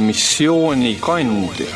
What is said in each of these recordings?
missioonikandja.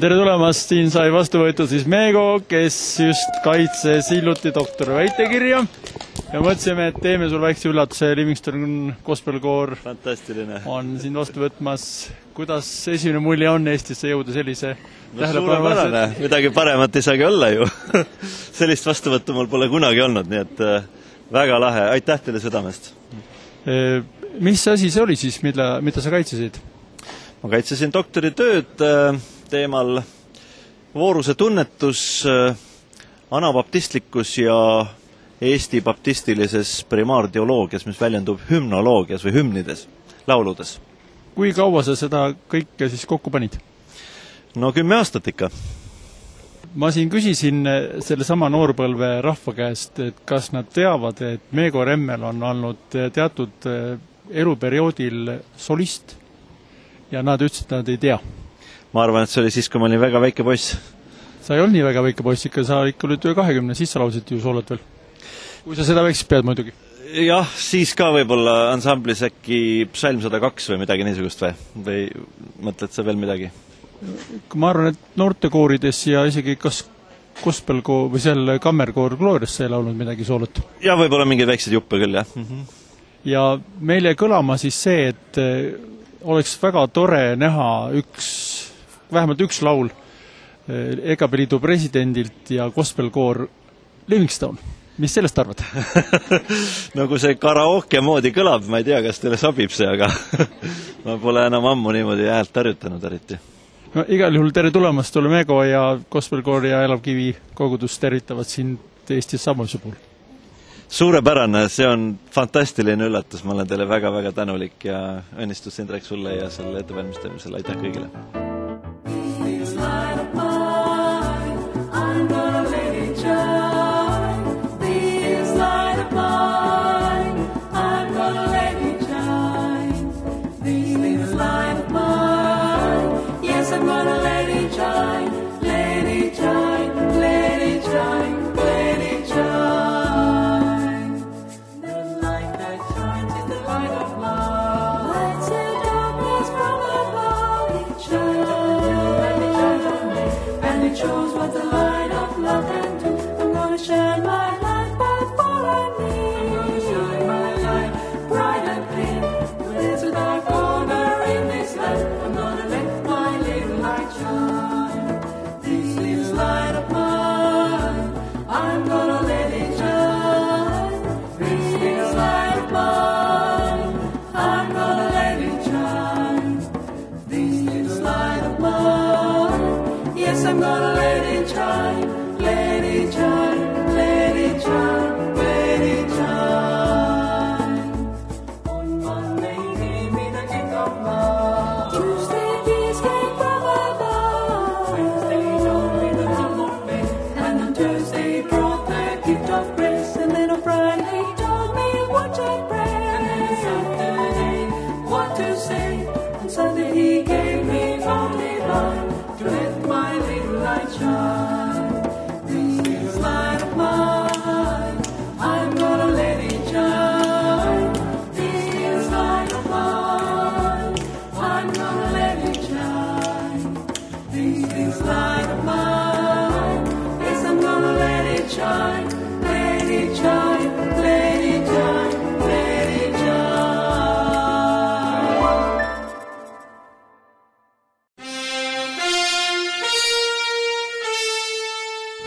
Tere tulemast, siin sai vastu võetud siis Meego, kes just kaitses hiljuti doktori väitekirja ja mõtlesime, et teeme sul väikse üllatuse. Livingston Gospel Choir on siin vastu võtmas. Kuidas esimene mulje on Eestisse jõuda sellise suurepärane, midagi paremat ei saagi olla ju. Sellist vastuvõttu mul pole kunagi olnud, nii et väga lahe. Aitäh teile südamest. Mis asi see oli siis, mida sa kaitsesid? Ma kaitsesin doktoritööd teemal vooruse tunnetus, anabaptistlikkus ja Eesti baptistilises primaarteoloogias, mis väljendub hümnoloogias või hümnides, lauludes. Kui kaua sa seda kõike siis kokku panid? No 10 aastat ikka. Ma siin küsisin selle sama noorpõlve rahva käest, et kas nad teavad, et Meego Remmel on olnud teatud eluperioodil solist ja nad ütlesid, et nad ei tea. Ma arvan, et see oli siis, kui ma olin väga väike poiss. Sa ei olnud nii väga väike poiss, ikka sa ikka olid 20, siis sa laulsid ju soolot veel. Kui sa seda väikselt pead muidugi. Jah, siis ka võib-olla ansamblis äkki Psalm 102 või midagi niisugust või mõtled sa veel midagi? Ma arvan, et noortekoorides ja isegi kas gospelkoor või seal kammerkoor Glorias sai laulnud midagi soolot. Ja võib-olla mingeid väikseid juppe küll, jah. Ja meil jäi kõlama siis see, et oleks väga tore näha vähemalt üks laul EKP Liidu presidendilt ja gospelkoor Livingston. Mis sellest arvad? No kui see karaoke moodi kõlab, ma ei tea, kas teile sobib see, aga ma pole enam ammu niimoodi häält harjutanud eriti. No, igal juhul tere tulemast, ole Meego ja gospelkoor ja Elav Kivi kogudus tervitavad siin Eestis Samuelse puhul. Suurepärane, see on fantastiline üllatus, ma olen teile väga-väga tänulik ja õnnistus Indrek sulle ja selle ettevalmistamisele. Aitäh kõigile!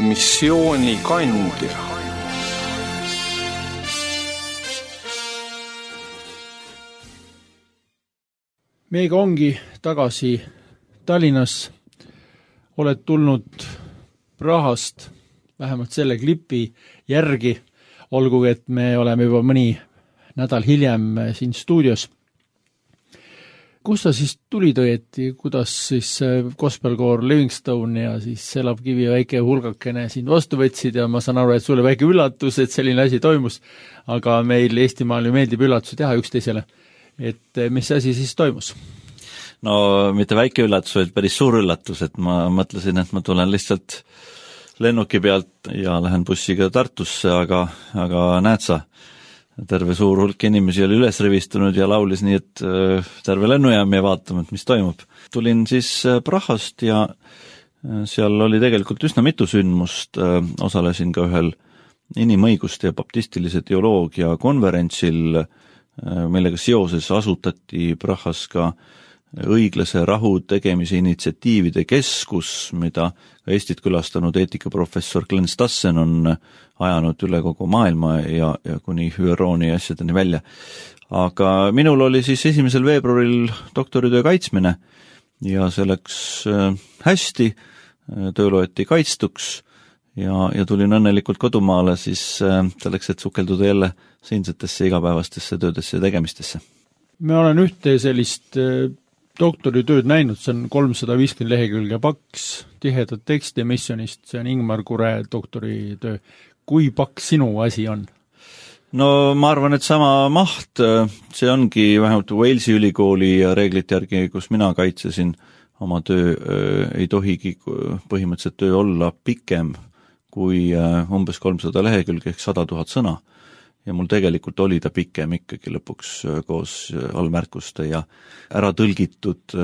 Missioonikandja. Meiega ongi tagasi Tallinnas. Oled tulnud Prahast vähemalt selle klipi järgi, olgugi et me oleme juba mõni nädal hiljem siin stuudios. Kus sa siis tulid õieti, kuidas siis gospelkoor Livingstone ja siis Elab-Kivi väike hulgakene sind vastu võtsid ja ma saan aru, et sulle väike üllatus, et selline asi toimus, aga meil Eestimaal ju meeldib üllatusi teha üksteisele. Et mis asi siis toimus? No mitte väike üllatus, vaid päris suur üllatus, et ma mõtlesin, et ma tulen lihtsalt lennuki pealt ja lähen bussiga Tartusse, aga näed sa, terve suur hulk inimesi oli üles rivistunud ja laulis nii, et terve lennujaam ja vaatame, et mis toimub. Tulin siis Prahast ja seal oli tegelikult üsna mitu sündmust, osalesin ka ühel inimõiguste ja baptistilise teoloogia konverentsil, millega seoses asutati Prahas ka õiglase rahu tegemise initsiatiivide keskus, mida Eestit külastanud eetikaprofessor Glenn Stassen on ajanud üle kogu maailma ja kuni ÜRO-ni asjadeni välja. Aga minul oli siis 1. veebruaril doktoritöö kaitsmine ja see läks hästi, töö loeti kaitstuks ja tulin õnnelikult kodumaale siis selleks, et sukelduda jälle siinsetesse igapäevastesse töödesse ja tegemistesse. Me olen ühte sellist doktoritööd näinud, see on 350 lehekülge paks, tihedat teksti missionist, see on Ingmar Kure doktoritöö. Kui paks sinu asi on? No ma arvan, et sama maht, see ongi vähemalt Walesi ülikooli reeglite järgi, kus mina kaitsesin oma töö, ei tohigi põhimõtteliselt töö olla pikem kui umbes 300 lehekülge ehk 100 000 sõna. Ja mul tegelikult oli ta pikem ikkagi lõpuks koos allmärkuste ja ära tõlgitud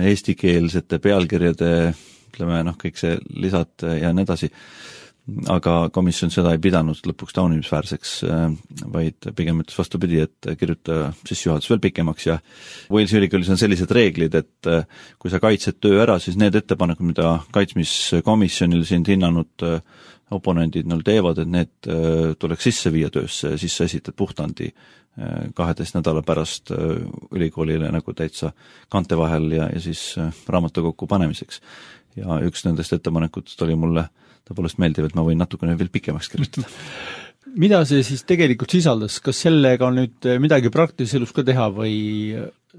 eestikeelsete pealkirjade, ütleme, kõik see lisad ja nii edasi. Aga komisjon seda ei pidanud lõpuks taunimisväärseks, vaid pigem ütles vastupidi, et kirjuta sissejuhatus veel pikemaks ja Walesi ülikoolis on sellised reeglid, et kui sa kaitsed töö ära, siis need ettepanekud, mida kaitsmiskomisjonil sind hinnanud oponendid teevad, et need tuleks sisse viia töösse ja siis sa esitad puhtandi 12 nädala pärast ülikoolile nagu täitsa kante vahel ja siis raamatukokku panemiseks. Ja üks nendest ettepanekutest oli mulle tõepoolest meeldiv, et ma võin natukene veel pikemaks kirjutada. Mida see siis tegelikult sisaldas? Kas sellega on nüüd midagi praktilises elus ka teha või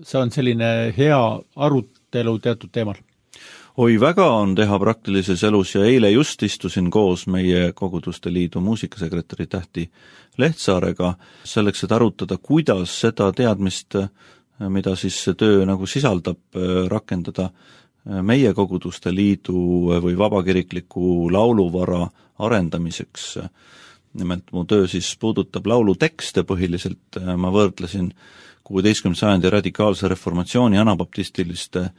see on selline hea arutelu teatud teemal? Oi, väga on teha praktilises elus ja eile just istusin koos meie Koguduste Liidu muusikasekretäri Tähti Lehtsaarega selleks, et arutada, kuidas seda teadmist, mida siis see töö nagu sisaldab, rakendada meie Koguduste Liidu või vabakirikliku lauluvara arendamiseks. Nimelt mu töö siis puudutab laulutekste põhiliselt, ma võrdlesin 16. sajandi radikaalse reformatsiooni anabaptistiliste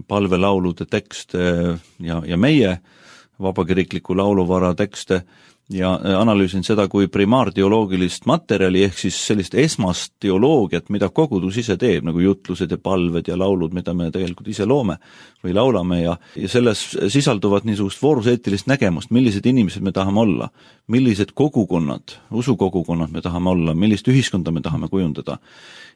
palvelaulude tekste ja meie vabakirikliku lauluvara tekste ja analüüsin seda kui primaarteoloogilist materjali ehk siis sellist esmast teoloogiat, mida kogudus ise teeb, nagu jutlused ja palved ja laulud, mida me tegelikult ise loome või laulame ja selles sisalduvad niisugust vooruseetilist nägemust, millised inimesed me tahame olla, millised kogukonnad, usukogukonnad me tahame olla, millist ühiskonda me tahame kujundada.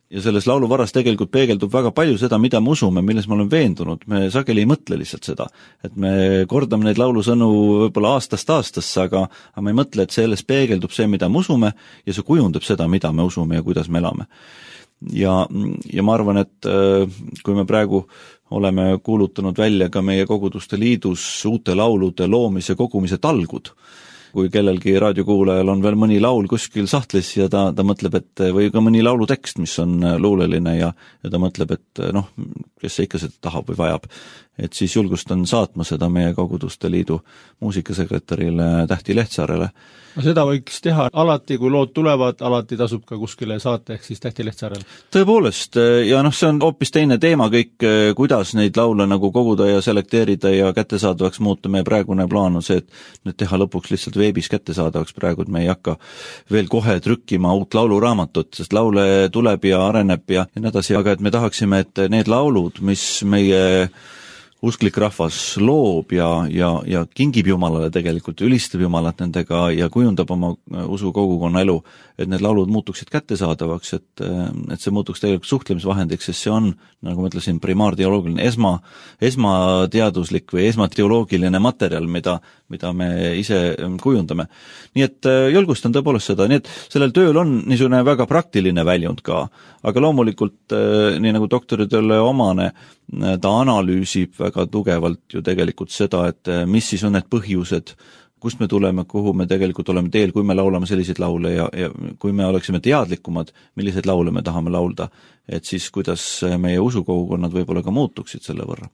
Ja selles lauluvaras tegelikult peegeldub väga palju seda, mida me usume, milles me oleme veendunud. Me sageli ei mõtle lihtsalt seda, et me kordame neid laulusõnu võib-olla aastast aastasse, aga me ei mõtle, et selles peegeldub see, mida me usume ja see kujundab seda, mida me usume ja kuidas me elame. Ja ma arvan, et kui me praegu oleme kuulutanud välja ka meie Koguduste Liidus uute laulude loomise kogumise talgud, kui kellelgi raadiokuulajal on veel mõni laul kuskil sahtlis ja ta mõtleb, et või ka mõni laulutekst, mis on luuleline ja ta mõtleb, et kes ikka seda tahab või vajab, et siis julgustan saatma seda meie Koguduste Liidu muusikasekretärile Tähti Lehtsaarele. No seda võiks teha alati, kui lood tulevad, alati tasub ka kuskile saata, ehk siis Tähti Lehtsaarele. Tõepoolest, ja see on hoopis teine teema kõik, kuidas neid laule nagu koguda ja selekteerida ja kättesaadavaks muuta. Meie praegune plaan on see, et nüüd teha lõpuks lihtsalt veebis kättesaadavaks praegu, et me ei hakka veel kohe trükkima uut lauluraamatut, sest laule tuleb ja areneb ja nii edasi, aga et me tahaksime, et need laulud, mis meie usklik rahvas loob ja kingib Jumalale tegelikult, ülistab Jumalat nendega ja kujundab oma usukogukonna elu, et need laulud muutuksid kättesaadavaks, et see muutuks tegelikult suhtlemisvahendiks, sest see on, nagu ma ütlesin, primaarteoloogiline, esmateaduslik või esmateoloogiline materjal, mida me ise kujundame. Nii et julgustan tõepoolest seda, nii et sellel tööl on niisugune väga praktiline väljund ka, aga loomulikult, nii nagu doktoritööle omane, ta analüüsib väga tugevalt ju tegelikult seda, et mis siis on need põhjused, kust me tuleme, kuhu me tegelikult oleme teel, kui me laulame selliseid laule ja kui me oleksime teadlikumad, milliseid laule me tahame laulda, et siis kuidas meie usukogukonnad võib-olla ka muutuksid selle võrra.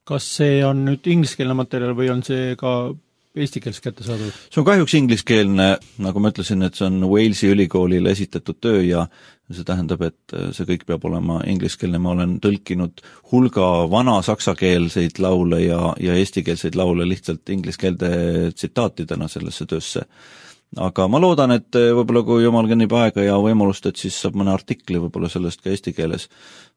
Kas see on nüüd ingliskeelne materjal või on see ka eesti keeles kättesaadav? See on kahjuks ingliskeelne, nagu ma ütlesin, et see on Walesi ülikoolile esitatud töö ja see tähendab, et see kõik peab olema ingliskeelne. Ma olen tõlkinud hulga vana saksakeelseid laule ja eestikeelseid laule lihtsalt ingliskeelde tsitaatidena sellesse töösse. Aga ma loodan, et võib-olla kui jumal kõnnib aega ja võimalust, et siis saab mõne artikli võib-olla sellest ka eesti keeles,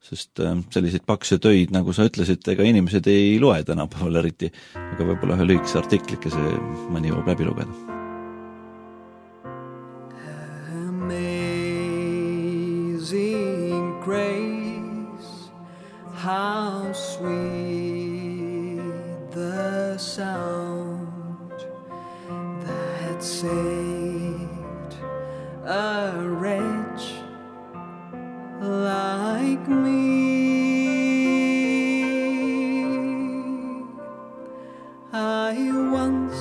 sest selliseid pakse töid, nagu sa ütlesid, ega inimesed ei loe tänapäeval eriti, aga võib-olla ühe lühikese artiklike see mõni jõuab läbi lugeda. Amazing grace, how sweet the sound that saved a wretch like me. I once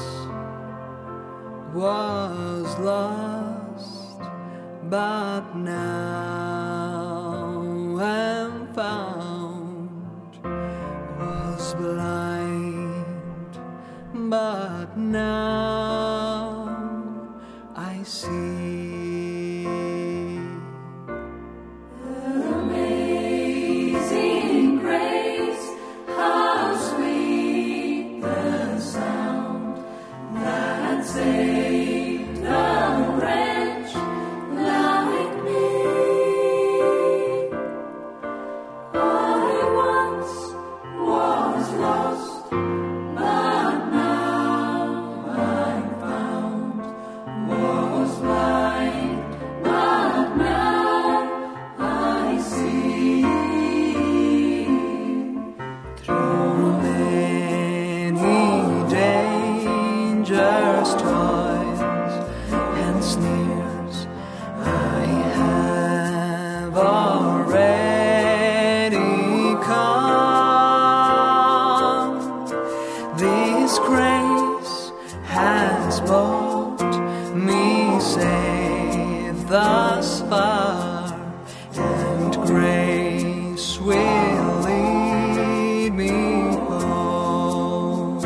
was lost, but now am found, was blind, but now I see. Amazing grace, how sweet the sound that saved a wretch like me. I once was lost, but now I'm found, was blind, but now I see. Through many dangers, toils, and sneers, I have already come. This grace has brought me safe thus far, and grace will lead me home.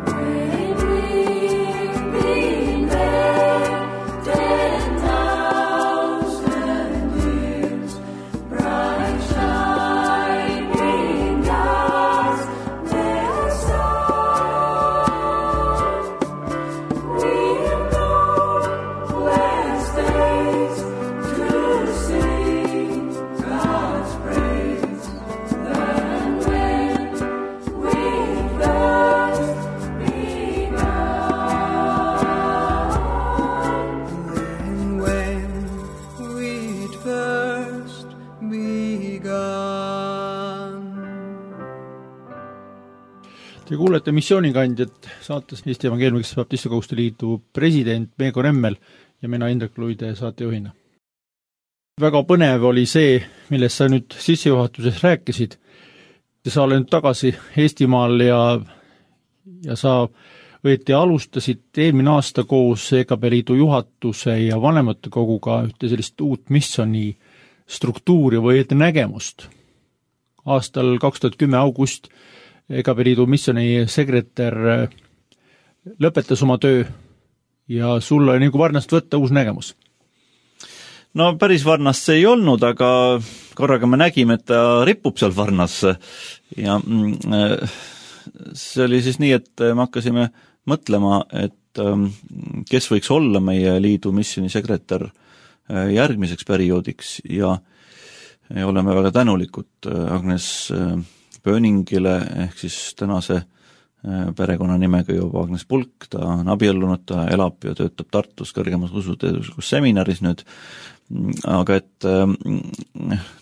When we've been there 10,000 years, bright shining as their sun, we'll go blessed days to sing God's praise. Then when we first begun, And when we'd first begun. Te kuulete missioonikandjat saates Eesti Evangeelmikeste Baptiste Koguduste Liidu president Meego Nemmel ja mina Indrek Luide saatejuhina. Väga põnev oli see, millest sa nüüd sissejuhatuses rääkisid. Sa oled nüüd tagasi Eestimaal ja sa õieti alustasid eelmine aasta koos EKB Liidu juhatuse ja vanematekoguga ühte sellist uut missiooni struktuuri või nägemust. Aastal 2010 august EKB Liidu missiooni sekretär lõpetas oma töö ja sul oli nagu varnast võtta uus nägemus. No päris varnast see ei olnud, aga korraga me nägime, et ta ripub seal varnas ja see oli siis nii, et me hakkasime mõtlema, et kes võiks olla meie liidu missiooni sekretär järgmiseks perioodiks ja oleme väga tänulikud Agnes Pöningile ehk siis tänase perekonnanimega juba Agnes Pulk, ta on abiellunud, ta elab ja töötab Tartus kõrgemas usuteaduslikus seminaris nüüd, aga et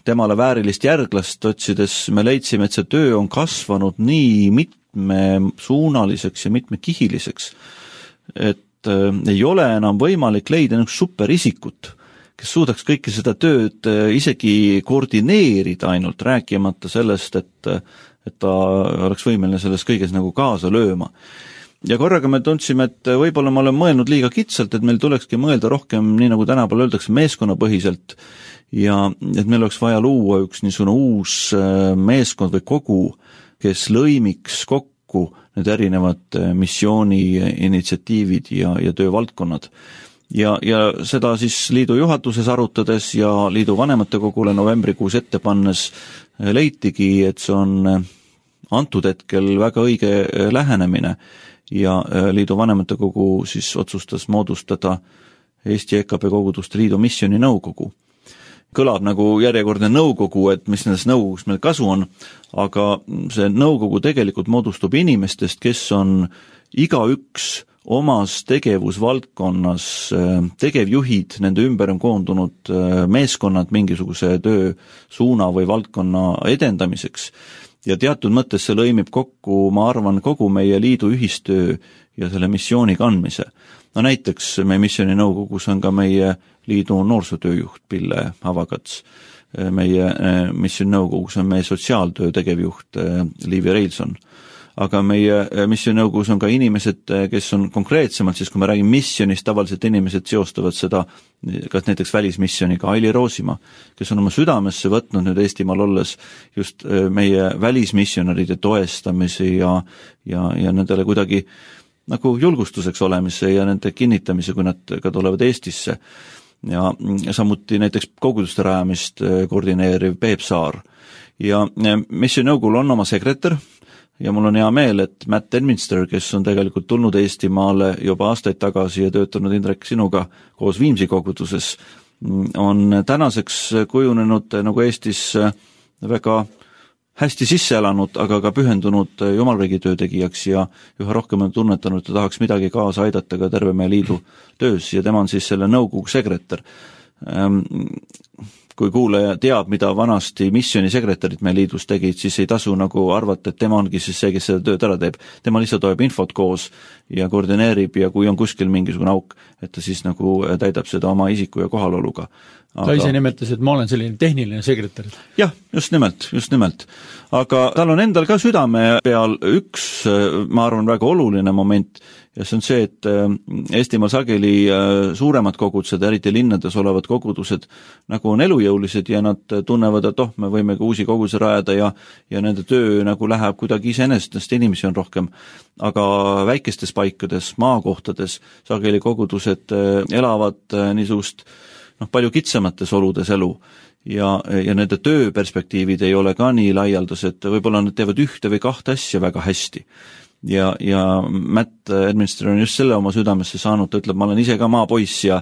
temale väärilist järglast otsides me leidsime, et see töö on kasvanud nii mitmesuunaliseks ja mitmekihiliseks, et ei ole enam võimalik leida superisikut, kes suudaks kõike seda tööd isegi koordineerida ainult, rääkimata sellest, et ta oleks võimeline selles kõiges nagu kaasa lööma. Ja korraga me tundsime, et võib-olla ma olen mõelnud liiga kitsalt, et meil tulekski mõelda rohkem, nii nagu tänapäeval öeldakse, meeskonnapõhiselt ja et meil oleks vaja luua üks niisugune uus meeskond või kogu, kes lõimiks kokku need erinevad missiooni initsiatiivid ja töövaldkonnad. Ja seda siis liidu juhatuses arutades ja liidu vanematekogule novembrikuus ette pannes leitigi, et see on antud hetkel väga õige lähenemine ja liidu vanematekogu siis otsustas moodustada Eesti EKP Koguduste Liidu missiooni nõukogu. Kõlab nagu järjekordne nõukogu, et mis nendes nõukogus meil kasu on, aga see nõukogu tegelikult moodustub inimestest, kes on igaüks omas tegevusvaldkonnas tegevjuhid, nende ümber on koondunud meeskonnad mingisuguse töösuuna või valdkonna edendamiseks ja teatud mõttes see lõimib kokku, ma arvan, kogu meie liidu ühistöö ja selle missiooni kandmise. No näiteks meie missiooni nõukogus on ka meie liidu noorsootööjuht Pille Havakats, meie missiooni nõukogus on meie sotsiaaltöö tegevjuht Liivi Reilson, aga meie missiooninõukogus on ka inimesed, kes on konkreetsemalt, siis kui me räägime missionist, tavaliselt inimesed seostavad seda kas näiteks välismissioniga, Aili Roosimaa, kes on oma südamesse võtnud nüüd Eestimaal olles just meie välismissionäride toestamise ja nendele kuidagi nagu julgustuseks olemise ja nende kinnitamise, kui nad ka tulevad Eestisse. Ja samuti näiteks koguduste rajamist koordineeriv Peep Saar. Ja missiooninõukogul on oma sekretär, ja mul on hea meel, et Matt Edminster, kes on tegelikult tulnud Eestimaale juba aastaid tagasi ja töötanud Indrek sinuga koos Viimsi koguduses, on tänaseks kujunenud nagu Eestis väga hästi sisse elanud, aga ka pühendunud jumalriigi töötegijaks ja üha rohkem on tunnetanud, et ta tahaks midagi kaasa aidata ka terve meie liidu töös ja tema on siis selle nõukogu sekretär. Kui kuulaja teab, mida vanasti missioonisekretärid meie liidus tegid, siis ei tasu nagu arvata, et tema ongi siis see, kes seda tööd ära teeb. Tema lihtsalt hoiab infot koos ja koordineerib ja kui on kuskil mingisugune auk, et ta siis nagu täidab seda oma isiku ja kohaloluga. Ta ise nimetas, et ma olen selline tehniline sekretär. Jah, just nimelt. Aga tal on endal ka südame peal üks, ma arvan, väga oluline moment ja see on see, et Eestimaal sageli suuremad kogudused, eriti linnades olevad kogudused nagu on elujõulised ja nad tunnevad, et me võime ka uusi kogudusi rajada ja nende töö nagu läheb kuidagi iseenesest, inimesi on rohkem. Aga väikestes paikades, maakohtades sageli kogudused elavad niisugust palju kitsamates oludes elu ja nende tööperspektiivid ei ole ka nii laialdased, võib-olla nad teevad ühte või kahte asja väga hästi. Ja Matt Edminster on just selle oma südamesse saanud, ta ütleb, ma olen ise ka maapoiss ja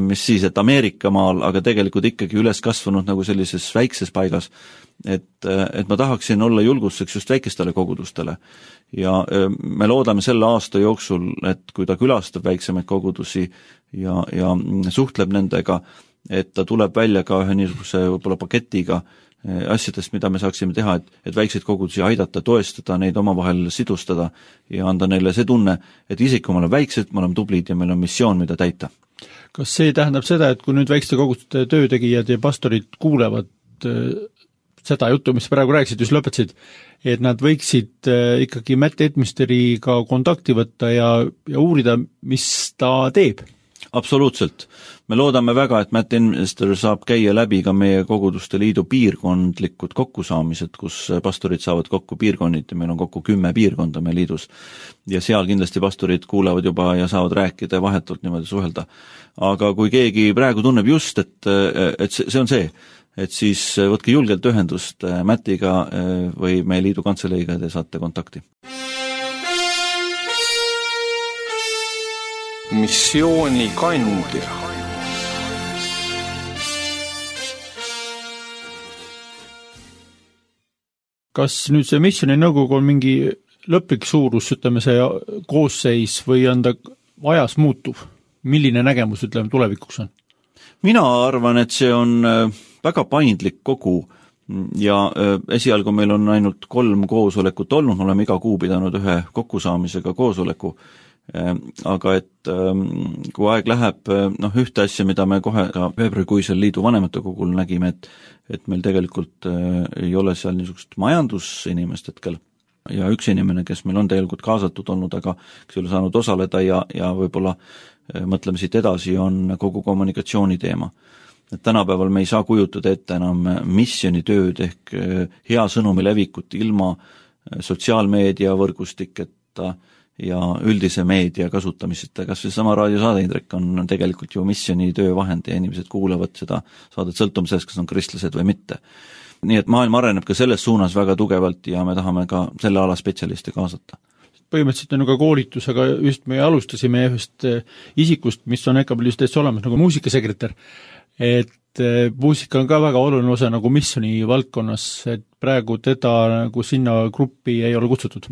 mis siis, et Ameerika maal, aga tegelikult ikkagi üles kasvanud nagu sellises väikses paigas, et ma tahaksin olla julgustuseks just väikestele kogudustele ja me loodame selle aasta jooksul, et kui ta külastab väiksemaid kogudusi ja suhtleb nendega, et ta tuleb välja ka ühe niisuguse võib-olla paketiga asjadest, mida me saaksime teha, et väikseid kogudusi aidata, toestada, neid omavahel sidustada ja anda neile see tunne, et isegi kui me oleme väiksed, me oleme tublid ja meil on missioon, mida täita. Kas see tähendab seda, et kui nüüd väikeste koguduste töötegijad ja pastorid kuulevad seda juttu, mis praegu rääkisid, just lõpetasid, et nad võiksid ikkagi Matt Edminsteriga kontakti võtta ja uurida, mis ta teeb? Absoluutselt. Me loodame väga, et Matt Edminster saab käia läbi ka meie koguduste liidu piirkondlikud kokkusaamised, kus pastorid saavad kokku piirkonniti, meil on kokku 10 piirkonda meie liidus ja seal kindlasti pastorid kuulevad juba ja saavad rääkida ja vahetult niimoodi suhelda. Aga kui keegi praegu tunneb just, et see on see, et siis võtke julgelt ühendust Mattiga või meie liidu kantseleiga ja te saate kontakti. Missioonikandja. Kas nüüd see missiooni nõukogu on mingi lõplik suurus, ütleme see koosseis või on ta ajas muutuv? Milline nägemus, ütleme, tulevikuks on? Mina arvan, et see on väga paindlik kogu ja esialgu meil on ainult 3 koosolekut olnud, me oleme iga kuu pidanud ühe kokkusaamisega koosoleku, aga et kui aeg läheb, ühte asja, mida me kohe ka veebruarikuisel liidu vanematokogul nägime, et meil tegelikult ei ole seal niisugust majandusinimest hetkel ja üks inimene, kes meil on tegelikult kaasatud olnud, aga kes ei ole saanud osaleda ja võib-olla mõtleme siit edasi, on kogu kommunikatsiooni teema. Et tänapäeval me ei saa kujutada ette enam missioonitööd ehk hea sõnumi levikut ilma sotsiaalmeedia võrgustiketa ja üldise meedia kasutamiseta. Kas see sama raadiosaade, Indrek, on tegelikult ju missioonitöö vahend ja inimesed kuulavad seda saadet sõltum sellest, kas on kristlased või mitte. Nii et maailm areneb ka selles suunas väga tugevalt ja me tahame ka selle ala spetsialiste kaasata. Põhimõtteliselt on ju ka koolitus, aga just me alustasime ühest isikust, mis on EKABL-is täitsa olemas, nagu muusikasekretär. Et muusika on ka väga oluline osa nagu missioni valdkonnas, et praegu teda nagu sinna gruppi ei ole kutsutud.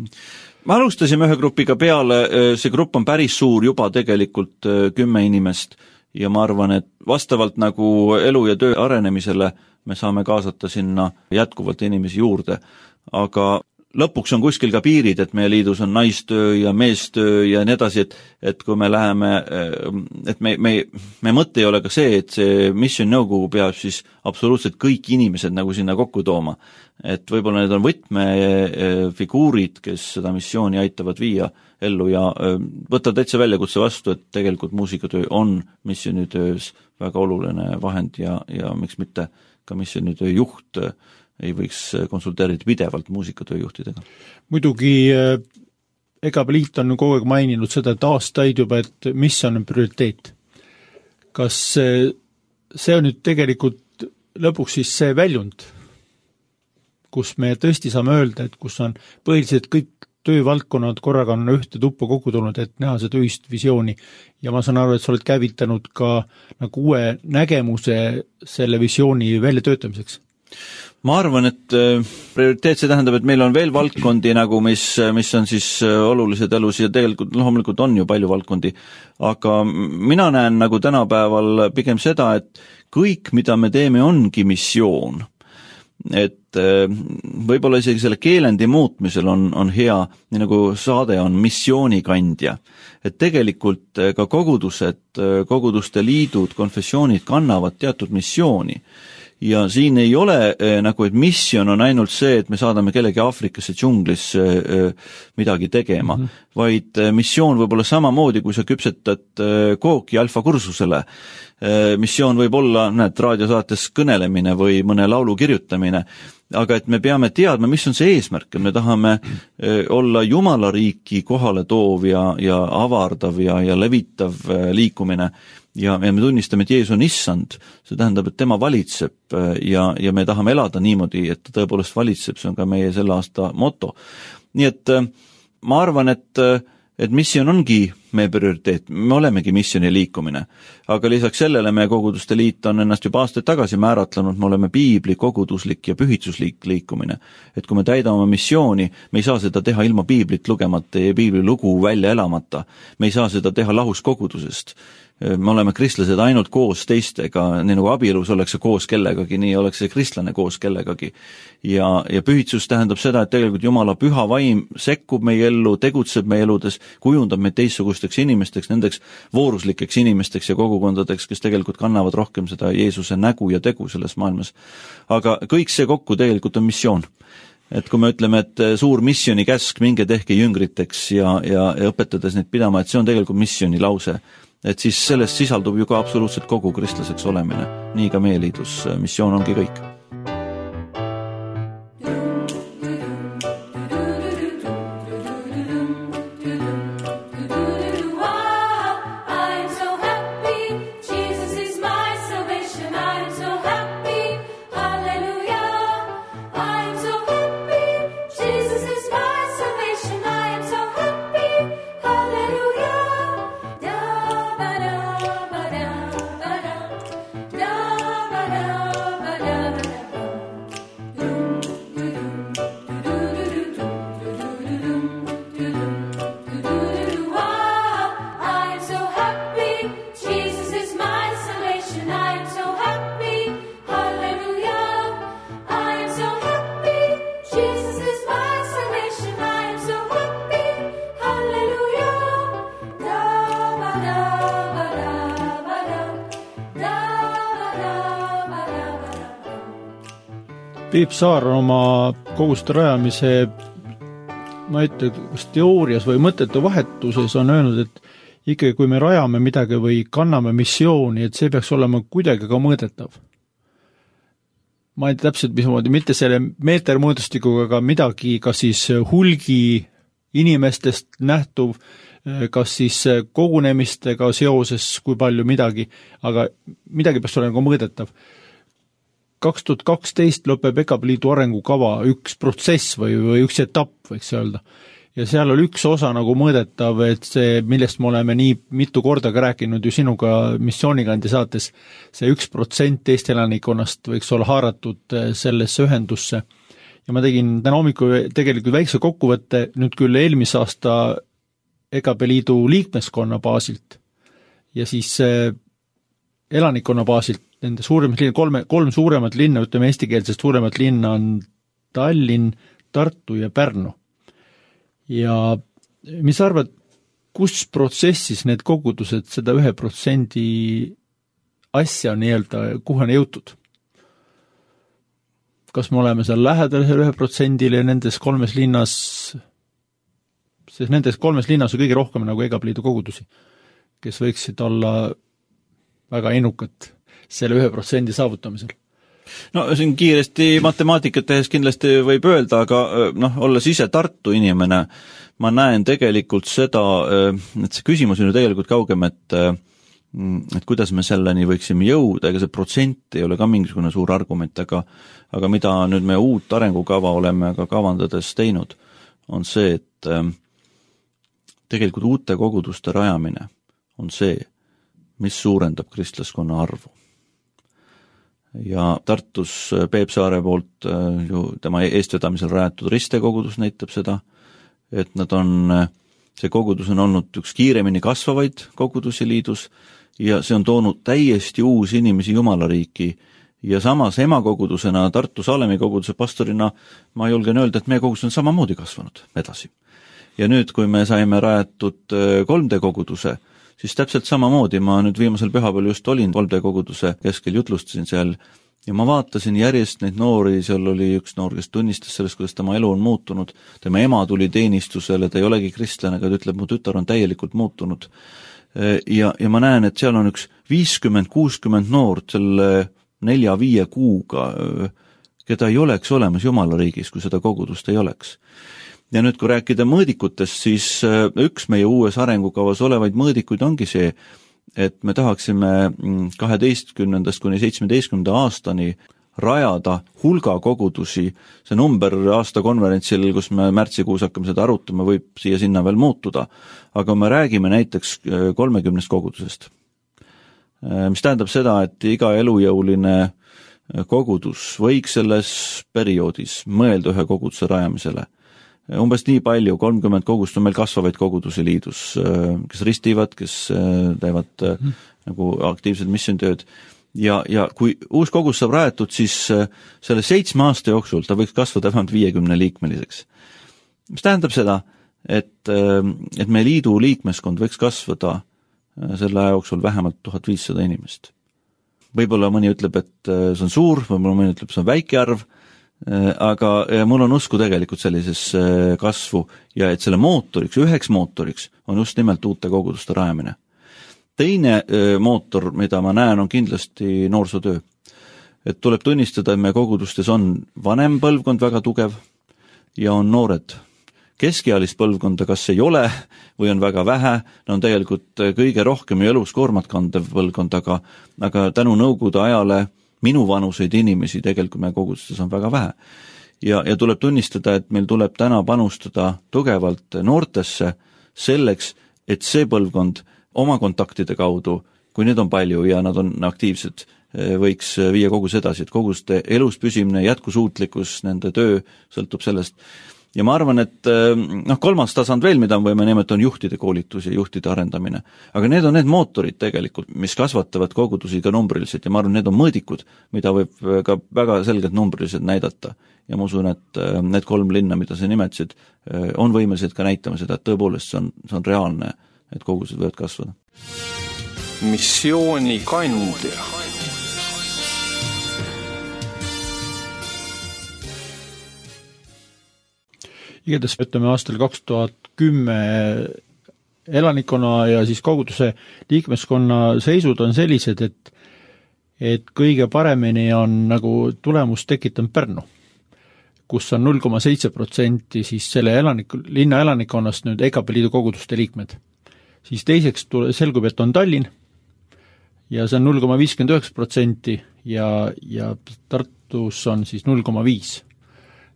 Me alustasime ühe grupiga peale, see grupp on päris suur juba tegelikult 10 inimest ja ma arvan, et vastavalt nagu elu ja töö arenemisele me saame kaasata sinna jätkuvalt inimesi juurde, aga lõpuks on kuskil ka piirid, et meie liidus on naistöö ja meestöö ja nii edasi, et kui me läheme, et me mõte ei ole ka see, et see mission nõukogu peab siis absoluutselt kõik inimesed nagu sinna kokku tooma. Et võib-olla need on võtmefiguurid, kes seda missiooni aitavad viia ellu ja võtta täitsa väljakutse vastu, et tegelikult muusikatöö on missionitöös väga oluline vahend ja miks mitte ka missionitöö juht ei võiks konsulteerida pidevalt muusikatööjuhtidega. Muidugi EKABL liit on kogu aeg maininud seda, et aastaid juba, et mis on prioriteet. Kas see on nüüd tegelikult lõpuks siis see väljund, kus me tõesti saame öelda, et kus on põhiliselt kõik töövaldkonnad korraga on ühte tuppa kokku tulnud, et näha seda ühist visiooni. Ja ma saan aru, et sa oled käivitanud ka nagu uue nägemuse selle visiooni väljatöötamiseks. Ma arvan, et prioriteet see tähendab, et meil on veel valdkondi nagu, mis on siis olulised elus ja tegelikult loomulikult on ju palju valdkondi, aga mina näen nagu tänapäeval pigem seda, et kõik, mida me teeme, ongi missioon. Et võib-olla isegi selle keelendi muutmisel on hea, nii nagu saade on missioonikandja. Et tegelikult ka koguduste liidud, konfessioonid kannavad teatud missiooni. Ja siin ei ole nagu, et missioon on ainult see, et me saadame kellegi Aafrikasse džunglisse midagi tegema, vaid missioon võib olla samamoodi, kui sa küpsetad kooki alfakursusele. Missioon võib olla, raadiosaates kõnelemine või mõne laulu kirjutamine, aga et me peame teadma, mis on see eesmärk, me tahame olla Jumala riiki kohale toov ja avardav ja levitav liikumine ja me tunnistame, et Jeesus on issand, see tähendab, et tema valitseb ja me tahame elada niimoodi, et ta tõepoolest valitseb, see on ka meie selle aasta moto. Nii et ma arvan, et missioon ongi meie prioriteet, me olemegi missioni liikumine, aga lisaks sellele meie koguduste liit on ennast juba aastaid tagasi määratlenud, me oleme piibli koguduslik ja pühitsuslik liikumine, et kui me täidame missiooni, me ei saa seda teha ilma piiblit lugemata ja piibli lugu välja elamata, me ei saa seda teha lahus kogudusest. Me oleme kristlased ainult koos teistega, nii nagu abielus oleks see koos kellegagi, nii oleks see kristlane koos kellegagi. Ja pühitsus tähendab seda, et tegelikult Jumala püha vaim sekkub meie ellu, tegutseb meie eludes, kujundab meid teistsugusteks inimesteks, nendeks vooruslikeks inimesteks ja kogukondadeks, kes tegelikult kannavad rohkem seda Jeesuse nägu ja tegu selles maailmas. Aga kõik see kokku tegelikult on missioon. Et kui me ütleme, et suur missioni käsk, minge tehke jüngriteks ja õpetades neid pidama, et see on tegelikult missioni lause. Et siis sellest sisaldub ju ka absoluutselt kogu kristlaseks olemine. Nii ka meie liidus missioon ongi kõik. Da Peep Saar on oma koguste rajamise, ma ütlen, kas teoorias või mõtete vahetuses on öelnud, et ikkagi kui me rajame midagi või kanname missiooni, et see peaks olema kuidagi ka mõõdetav. Ma ei tea täpselt, mismoodi, mitte selle meetermõõdustikuga, aga midagi, kas siis hulgi inimestest nähtuv, kas siis kogunemistega seoses, kui palju midagi, aga midagi peaks olema ka mõõdetav. 2012 lõpeb EKP Liidu arengukava üks protsess või üks etapp, võiks öelda. Ja seal oli üks osa nagu mõõdetav, et see, millest me oleme nii mitu korda ka rääkinud ju sinuga missioonigandi saates, see 1% Eesti elanikkonnast võiks olla haaratud sellesse ühendusse. Ja ma tegin täna hommikul tegelikult väikse kokkuvõtte nüüd küll eelmise aasta EKP Liidu liikmeskonna baasilt ja siis elanikkonna baasilt, nende suuremat linna, kolm suuremat linna, ütleme eestikeelsest suuremat linna on Tallinn, Tartu ja Pärnu. Ja mis arvad, kus protsessis need kogudused seda 1% asja nii-öelda, kuhu on jõutud? Kas me oleme seal lähedal 1%-le nendes kolmes linnas, sest nendes kolmes linnas on kõige rohkem nagu EKP Liidu kogudusi, kes võiksid olla väga innukad selle 1% saavutamisel? No siin kiiresti matemaatikat tehes kindlasti võib öelda, aga olles ise Tartu inimene, ma näen tegelikult seda, et see küsimus on ju tegelikult kaugem, et kuidas me selleni võiksime jõuda, ega see protsent ei ole ka mingisugune suur argument, aga mida nüüd me uut arengukava oleme ka kavandades teinud, on see, et tegelikult uute koguduste rajamine on see, mis suurendab kristlaskonna arvu. Ja Tartus Peep Saare poolt ju tema eestvedamisel rajatud ristekogudus näitab seda, et see kogudus on olnud üks kiiremini kasvavaid kogudusi liidus ja see on toonud täiesti uusi inimesi Jumalariiki ja samas emakogudusena Tartu Salemi koguduse pastorina ma julgen öelda, et meie kogudus on samamoodi kasvanud edasi. Ja nüüd, kui me saime rajatud 3D koguduse, siis täpselt samamoodi, ma nüüd viimasel pühapäeval just olin 3D koguduse keskel, jutlustasin seal ja ma vaatasin järjest neid noori, seal oli üks noor, kes tunnistas sellest, kuidas tema elu on muutunud, tema ema tuli teenistusele, ta ei olegi kristlane, aga ta ütleb, mu tütar on täielikult muutunud. Ja ma näen, et seal on üks 50-60 noort selle 4-5 kuuga, keda ei oleks olemas Jumalariigis, kui seda kogudust ei oleks. Ja nüüd, kui rääkida mõõdikutest, siis üks meie uues arengukavas olevaid mõõdikuid ongi see, et me tahaksime 12. kuni 17. aastani rajada hulga kogudusi. See number aasta konverentsil, kus me märtsikuus hakkame seda arutama, võib siia sinna veel muutuda, aga me räägime näiteks 30 kogudusest. Mis tähendab seda, et iga elujõuline kogudus võiks selles perioodis mõelda ühe koguduse rajamisele. Umbes nii palju, 30 kogust on meil kasvavaid kogudusi liidus, kes ristivad, kes teevad nagu aktiivsed missioontööd. Ja kui uus kogus saab rajatud, siis selle 7 aasta jooksul ta võiks kasvada vähemalt 50 liikmeliseks. Mis tähendab seda, et meie liidu liikmeskond võiks kasvada selle aja jooksul vähemalt 1500 inimest. Võib-olla mõni ütleb, et see on suur, võib-olla mõni ütleb, see on väike arv, aga mul on usku tegelikult sellises kasvu ja et selle mootoriks, üheks mootoriks on just nimelt uute koguduste rajamine. Teine mootor, mida ma näen, on kindlasti noorsootöö. Et tuleb tunnistada, et meie kogudustes on vanem põlvkond väga tugev ja on noored. Keskealist põlvkonda kas ei ole või on väga vähe, on tegelikult kõige rohkem elus koormat kandev põlvkond, aga tänu nõukogude ajale minu vanuseid inimesi tegelikult meie kogudustes on väga vähe. Ja tuleb tunnistada, et meil tuleb täna panustada tugevalt noortesse selleks, et see põlvkond oma kontaktide kaudu, kui need on palju ja nad on aktiivsed, võiks viia kogus edasi, et koguste elus püsimine, jätkusuutlikkus, nende töö sõltub sellest. Ja ma arvan, et kolmas tasand veel, mida võime nimetada, on juhtide koolitus ja juhtide arendamine. Aga need on need mootorid tegelikult, mis kasvatavad kogudusi ka numbriliselt ja ma arvan, need on mõõdikud, mida võib ka väga selgelt numbriliselt näidata. Ja ma usun, et need 3 linna, mida sa nimetasid, on võimelised ka näitama seda, et tõepoolest see on reaalne, et kogused võivad kasvada. Missiooni kandja. igatahes ütleme aastal 2010 elanikkonna ja siis koguduse liikmeskonna seisud on sellised, et kõige paremini on nagu tulemus tekitanud Pärnu, kus on 0,7% siis selle linna elanikkonnast nüüd EKP liidu koguduste liikmed. Siis teiseks selgub, et on Tallinn ja see on 0,59% ja Tartus on siis 0,5%.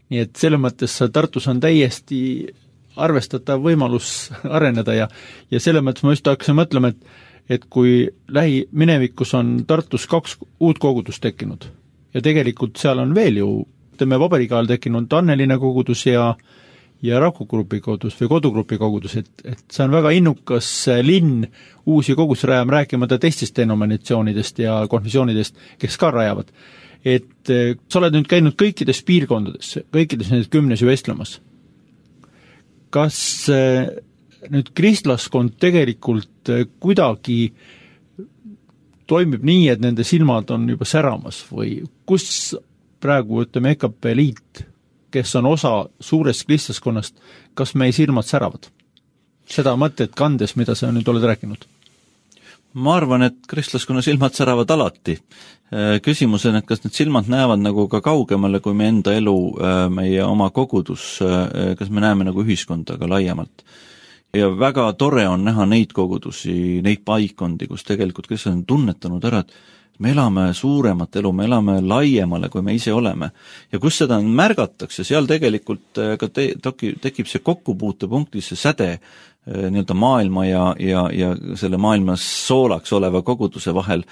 Nii et selle mõttes Tartus on täiesti arvestatav võimalus areneda ja selle mõttes ma just hakkasin mõtlema, et kui lähiminevikus on Tartus 2 uut kogudust tekkinud ja tegelikult seal on veel ju teeme Vabariigi ajal tekkinud Anneline kogudus ja Rakugrupi kogudus või Kodugrupi kogudus, et see on väga innukas linn uusi kogudusi rajama, rääkimata teistest denominatsioonidest ja konfessioonidest, kes ka rajavad. Et sa oled nüüd käinud kõikides piirkondades, kõikides need 10 vestlemas. Kas nüüd kristlaskond tegelikult kuidagi toimib nii, et nende silmad on juba säramas või kus praegu ütleme EKP liit, kes on osa suurest kristlaskonnast, kas meie silmad säravad? Seda mõtet kandes, mida sa nüüd oled rääkinud? Ma arvan, et kristlaskonna silmad säravad alati. Küsimus on, et kas need silmad näevad nagu ka kaugemale kui meie enda elu, meie oma kogudus, kas me näeme nagu ühiskonda ka laiemalt. Ja väga tore on näha neid kogudusi, neid paikondi, kus tegelikult kes on tunnetanud ära, et me elame suuremat elu, me elame laiemale, kui me ise oleme. Ja kus seda märgatakse, seal tegelikult ka tekib see kokkupuutepunkti, see säde nii-öelda maailma ja selle maailmas soolaks oleva koguduse vahel.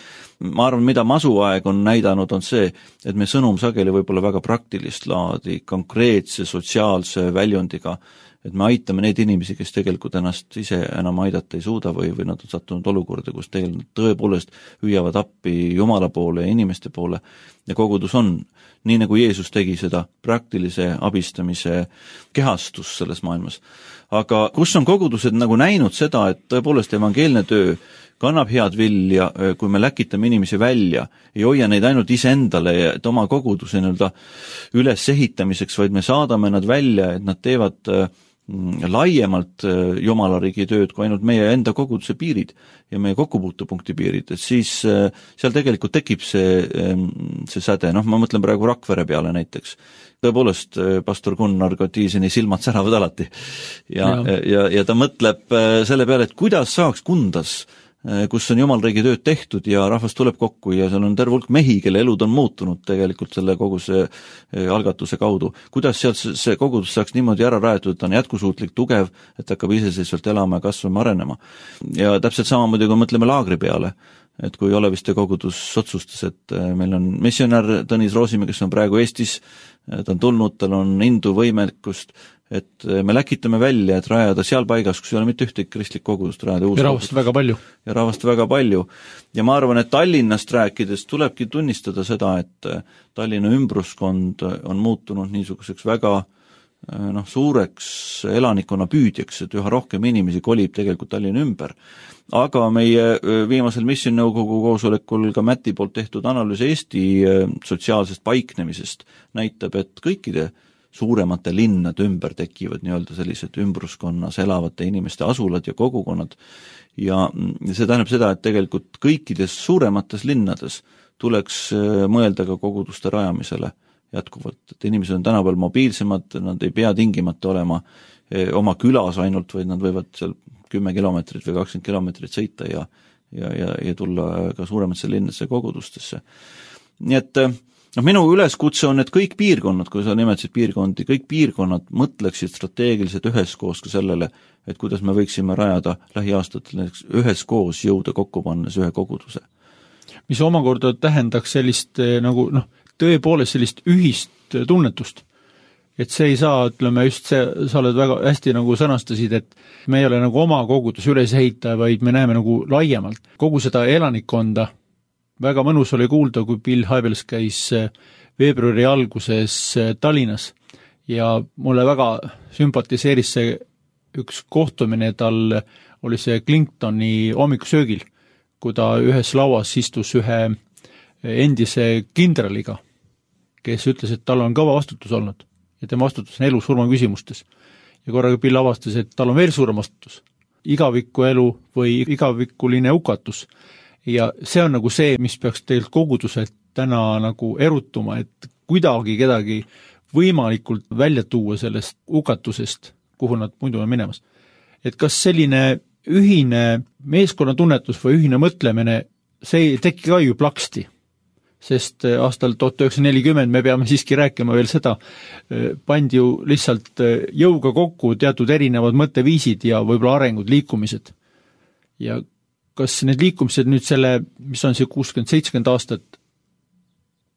Ma arvan, mida masuaeg on näidanud, on see, et me sõnum sageli võib-olla väga praktilist laadi, konkreetse sotsiaalse väljundiga, et me aitame neid inimesi, kes tegelikult ennast ise enam aidata ei suuda või nad on sattunud olukorda, kus tegelikult tõepoolest hüüavad appi Jumala poole ja inimeste poole ja kogudus on, nii nagu Jeesus tegi seda praktilise abistamise kehastus selles maailmas. Aga kus on kogudused nagu näinud seda, et tõepoolest evangeelne töö kannab head vilja, kui me läkitame inimesi välja, ei hoia neid ainult iseendale, et oma koguduse üles ehitamiseks, vaid me saadame nad välja, et nad teevad laiemalt Jumala riigi tööd kui ainult meie enda koguduse piirid ja meie kokkupuutepunkti piirid, et siis seal tegelikult tekib see säde, ma mõtlen praegu Rakvere peale näiteks. Tõepoolest, pastor Gunnar Kotiiseni silmad säravad alati ja ta mõtleb selle peale, et kuidas saaks Kundas, kus on Jumalriigi tööd tehtud ja rahvas tuleb kokku ja seal on terve hulk mehi, kelle elud on muutunud tegelikult selle kogu see algatuse kaudu. Kuidas sealt see kogudus saaks niimoodi ära rajatud, et ta on jätkusuutlik, tugev, et hakkab iseseisvalt elama ja kasvama, arenema. Ja täpselt samamoodi, kui mõtleme Laagri peale, et kui Oleviste kogudus otsustas, et meil on missionär Tõnis Roosimäe, kes on praegu Eestis, ta on tulnud, tal on indu võimekust, et me läkitame välja, et rajada seal paigas, kus ei ole mitte ühtegi kristlik kogudust, rajada uus rahvast väga palju. Ja rahvast väga palju. Ja ma arvan, et Tallinnast rääkides tulebki tunnistada seda, et Tallinna ümbruskond on muutunud niisuguseks väga suureks elanikkonna püüdjaks, et üha rohkem inimesi kolib tegelikult Tallinna ümber. Aga meie viimasel missionõukogu koosolekul ka Mäti poolt tehtud analüüs Eesti sotsiaalsest paiknemisest näitab, et kõikide suuremate linnade ümber tekivad nii-öelda sellised ümbruskonnas elavate inimeste asulad ja kogukonnad ja see tähendab seda, et tegelikult kõikides suuremates linnades tuleks mõelda ka koguduste rajamisele jätkuvalt, et inimesed on tänapäeval mobiilsemad, nad ei pea tingimata olema oma külas ainult, vaid nad võivad seal 10 kilomeetrit või 20 kilomeetrit sõita ja tulla ka suuremasse linnasse kogudustesse. Nii et minu üleskutse on, et kõik piirkonnad, kui sa nimetasid piirkondi, kõik piirkonnad mõtleksid strateegiliselt üheskoos ka sellele, et kuidas me võiksime rajada lähiaastatel üheskoos jõuda kokku pannes ühe koguduse. Mis omakorda tähendaks sellist tõepoolest sellist ühist tunnetust. Et see ei saa, ütleme just see, sa oled väga hästi sõnastasid, et me ei ole oma kogudus üles ehitaja, vaid me näeme laiemalt kogu seda elanikkonda. Väga mõnus oli kuulda, kui Bill Hybels käis veebruari alguses Tallinnas ja mulle väga sümpatiseeris see üks kohtumine, tal oli see Clintoni hommikusöögil, kui ta ühes lauas istus ühe endise kindraliga, kes ütles, et tal on kõva vastutus olnud ja tema vastutus on elu surma küsimustes. ja korraga Bill avastas, et tal on veel suurem vastutus. Igaviku elu või igavikuline hukatus. Ja see on nagu see, mis peaks tegelikult koguduselt täna nagu erutuma, et kuidagi kedagi võimalikult välja tuua sellest hukatusest, kuhu nad muidu on minemas. Et kas selline ühine meeskonnatunnetus või ühine mõtlemine, see ei teki ka ju plaksti, sest aastal 1940 me peame siiski rääkima veel seda, pandi ju lihtsalt jõuga kokku teatud erinevad mõtteviisid ja võib-olla arengud, liikumised. Ja kas need liikumised nüüd selle, mis on see 60-70 aastat,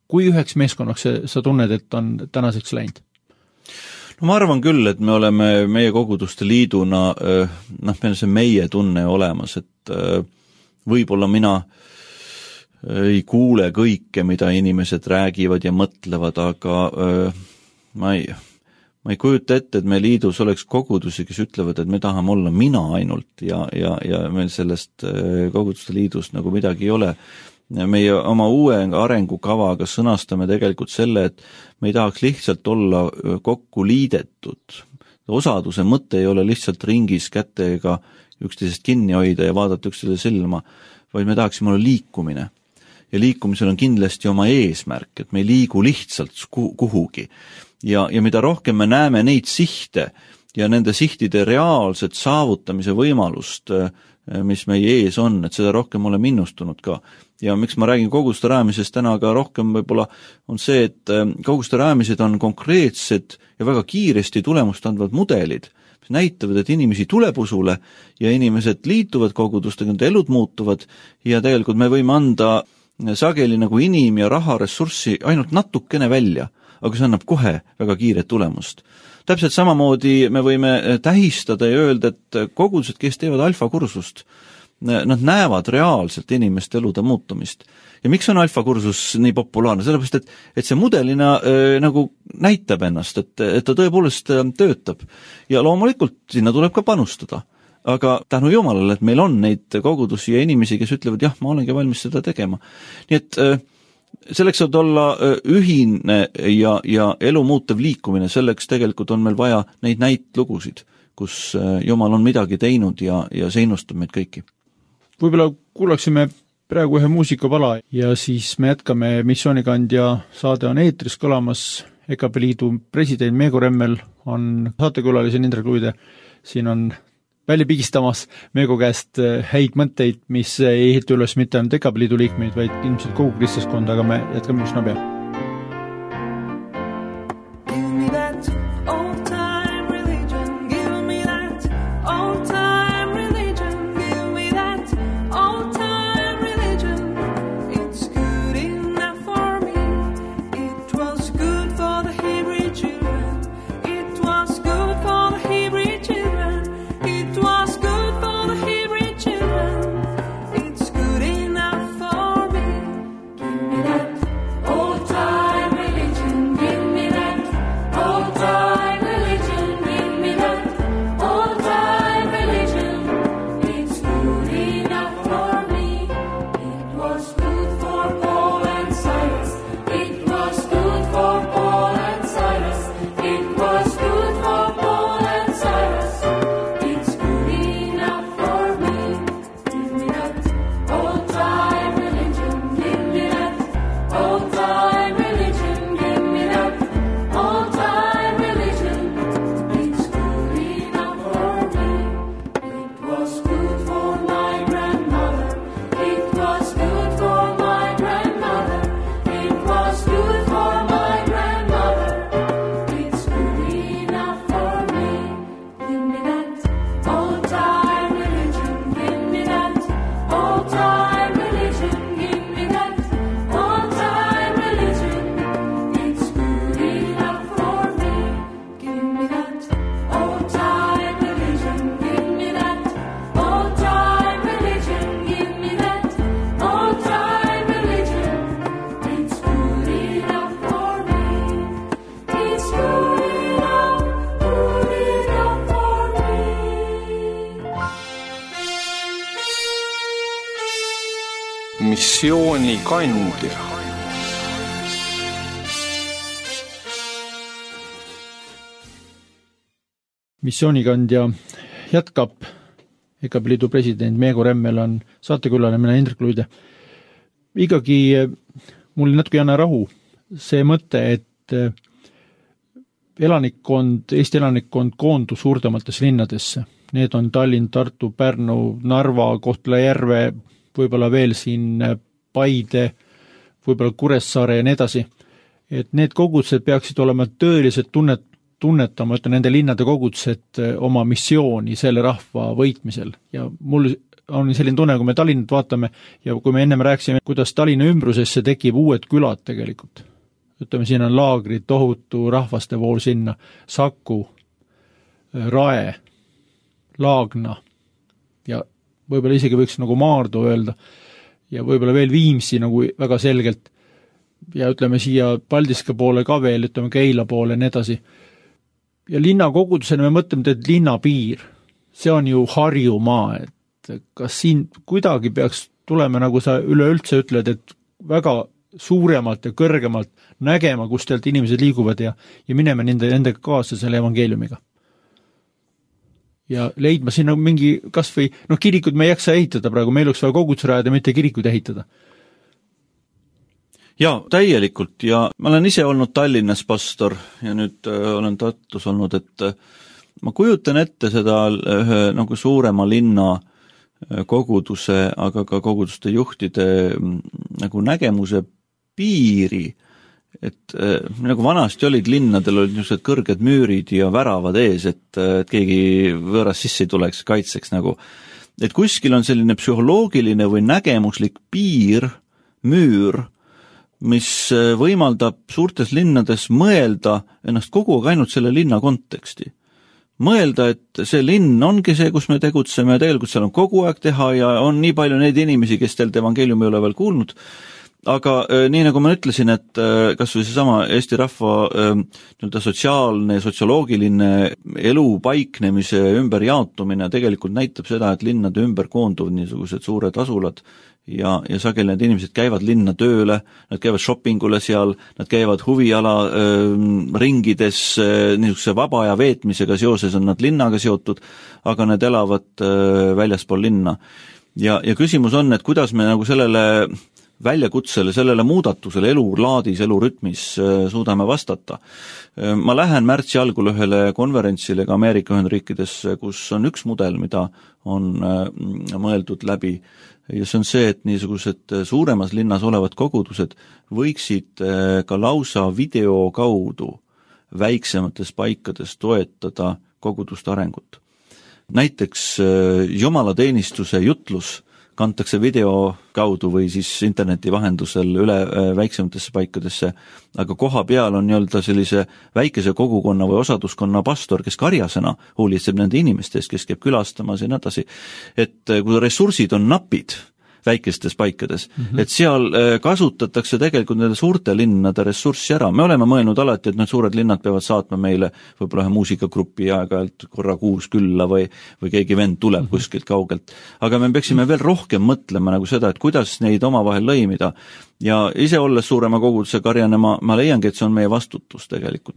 kui üheks meeskonnaks sa tunned, et on tänaseks läinud? No ma arvan küll, et me oleme meie koguduste liiduna, meil on see meie tunne olemas, et võib-olla mina ei kuule kõike, mida inimesed räägivad ja mõtlevad, aga ma ei kujuta ette, et me liidus oleks kogudusi, kes ütlevad, et me tahame olla mina ainult ja meil sellest koguduste liidust nagu midagi ei ole. Meie oma uue arengukavaga sõnastame tegelikult selle, et me ei tahaks lihtsalt olla kokku liidetud. Osaduse mõte ei ole lihtsalt ringis kätega üksteisest kinni hoida ja vaadata üksteisele silma, vaid me tahaksime olla liikumine. Ja liikumisel on kindlasti oma eesmärk, et me ei liigu lihtsalt kuhugi. Ja mida rohkem me näeme neid sihte ja nende sihtide reaalset saavutamise võimalust, mis meie ees on, et seda rohkem oleme innustunud ka. Ja miks ma räägin koguduste rajamisest täna ka rohkem võib-olla on see, et koguduste rajamised on konkreetsed ja väga kiiresti tulemust andvad mudelid, mis näitavad, et inimesi tuleb usule ja inimesed liituvad kogudustega, nende elud muutuvad ja tegelikult me võime anda sageli nagu inim- ja raharessurssi ainult natukene välja, aga see annab kohe väga kiiret tulemust. Täpselt samamoodi me võime tähistada ja öelda, et kogudused, kes teevad alfakursust, nad näevad reaalselt inimeste elude muutumist. Ja miks on alfakursus nii populaarne? Sellepärast, et see mudelina nagu näitab ennast, et ta tõepoolest töötab. Ja loomulikult sinna tuleb ka panustada. Aga tänu Jumalale, et meil on neid kogudusi ja inimesi, kes ütlevad, jah, ma olengi valmis seda tegema. Nii et selleks saab olla ühine ja elu muutev liikumine, selleks tegelikult on meil vaja neid näitlugusid, kus Jumal on midagi teinud ja see innustab meid kõiki. Võib-olla kuulaksime praegu ühe muusikapala ja siis me jätkame Missioonikandja saade on eetris kõlamas. EKP Liidu president Meego Remmel on saatekülalise Indrek Luide. Siin on välja pigistamas Meego käest häid mõtteid, mis ei ehita üles mitte ainult EKP Liidu liikmeid, vaid ilmselt kogu kristlaskonda, aga me jätkame üsna pea. Missioonikandja. missioonikandja jätkab. EKP Liidu president Meego Remmel on saatekülaline, mina Indrek Luide. Ikkagi mul natuke ei anna rahu see mõte, et Eesti elanikkond koondus suurematesse linnadesse. Need on Tallinn, Tartu, Pärnu, Narva, Kohtla-Järve, võib-olla veel siin Paide, võib-olla Kuressaare ja nii edasi. Et need kogudused peaksid olema tõeliselt tunnetama, et nende linnade kogudused oma missiooni selle rahva võitmisel. Ja mul on selline tunne, kui me Tallinnat vaatame ja kui me ennem rääksime, kuidas Tallinna ümbrusesse tekib uued külad tegelikult. Ütleme, siin on laagrid, tohutu rahvaste vool sinna, Saku, Rae, Laagna ja võib-olla isegi võiks nagu Maardu öelda ja võib-olla veel Viimsi nagu väga selgelt ja ütleme siia Paldiska poole ka veel, ütleme Keila poole ja nii edasi. Ja linnakogudusena me mõtleme, et linnapiir, see on ju Harjumaa, et kas siin kuidagi peaks tulema, nagu sa üleüldse ütled, et väga suuremalt ja kõrgemalt nägema, kus tealt inimesed liiguvad ja mineme nendega kaasa selle evangeeliumiga. Ja leidma sinna mingi kas või, kirikud me ei jaksa ehitada praegu, meil oleks vaja kogudus rajada, mitte kirikuid ehitada. Ja täielikult ja ma olen ise olnud Tallinnas pastor ja nüüd olen Tartus olnud, et ma kujutan ette seda ühe nagu suurema linna koguduse, aga ka koguduste juhtide nagu nägemuse piiri, et nagu vanasti olid linnadel olid niisugused kõrged müürid ja väravad ees, et keegi võõras sisse ei tuleks, kaitseks nagu. Et kuskil on selline psühholoogiline või nägemuslik piir, müür, mis võimaldab suurtes linnades mõelda ennast kogu aeg ainult selle linna konteksti. Mõelda, et see linn ongi see, kus me tegutseme ja tegelikult seal on kogu aeg teha ja on nii palju neid inimesi, kes teilt evangeeliumi ei ole veel kuulnud. Aga nii nagu ma ütlesin, et kas või seesama Eesti rahva sotsiaalne ja sotsioloogiline elu paiknemise ümberjaotumine tegelikult näitab seda, et linnade ümber koonduvad niisugused suured asulad ja sageli need inimesed käivad linna tööle, nad käivad shoppingule seal, nad käivad huviala ringides, niisuguse vaba aja veetmisega seoses on nad linnaga seotud, aga need elavad väljaspool linna. Ja küsimus on, et kuidas me nagu sellele väljakutsele, sellele muudatusele elulaadis, elurütmis suudame vastata. Ma lähen märtsi algul ühele konverentsile ka Ameerika Ühendriikides, kus on üks mudel, mida on mõeldud läbi ja see on see, et niisugused suuremas linnas olevad kogudused võiksid ka lausa video kaudu väiksemates paikades toetada koguduste arengut. Näiteks jumalateenistuse jutlus kantakse video kaudu või siis interneti vahendusel üle väiksematesse paikadesse, aga koha peal on nii-öelda sellise väikese kogukonna või osaduskonna pastor, kes karjasena hoolitseb nende inimestest, kes käib külastamas ja nii edasi. Et kui ressursid on napid väikestes paikades, et seal kasutatakse tegelikult nende suurte linnade ressurssi ära. Me oleme mõelnud alati, et need suured linnad peavad saatma meile võib-olla ühe muusikagrupi aeg-ajalt korra kuus külla või keegi vend tuleb kuskilt kaugelt. Aga me peaksime veel rohkem mõtlema nagu seda, et kuidas neid omavahel lõimida. Ja ise olles suurema koguduse karjane, ma leiangi, et see on meie vastutus tegelikult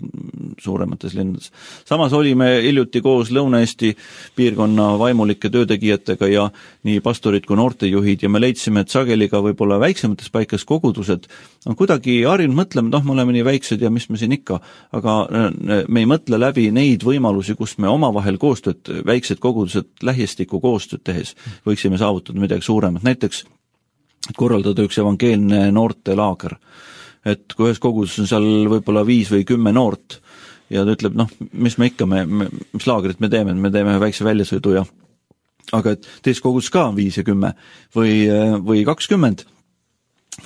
suuremates linnades. Samas olime hiljuti koos Lõuna-Eesti piirkonna vaimulike töötegijatega ja nii pastorid kui noortejuhid ja me leidsime, et sageli ka võib-olla väiksemates paikades kogudused on kuidagi harjunud mõtlema, me oleme nii väiksed ja mis me siin ikka, aga me ei mõtle läbi neid võimalusi, kus me omavahel koostööd, väiksed kogudused lähistiku koostööd tehes võiksime saavutada midagi suuremat. Näiteks korraldada üks evangeelne noortelaager, et kui ühes koguduses on seal võib-olla 5 või 10 noort ja ta ütleb, mis me ikka, mis laagrit me teeme väikse väljasõidu ja aga et teis koguduses ka on 5 ja 10 või 20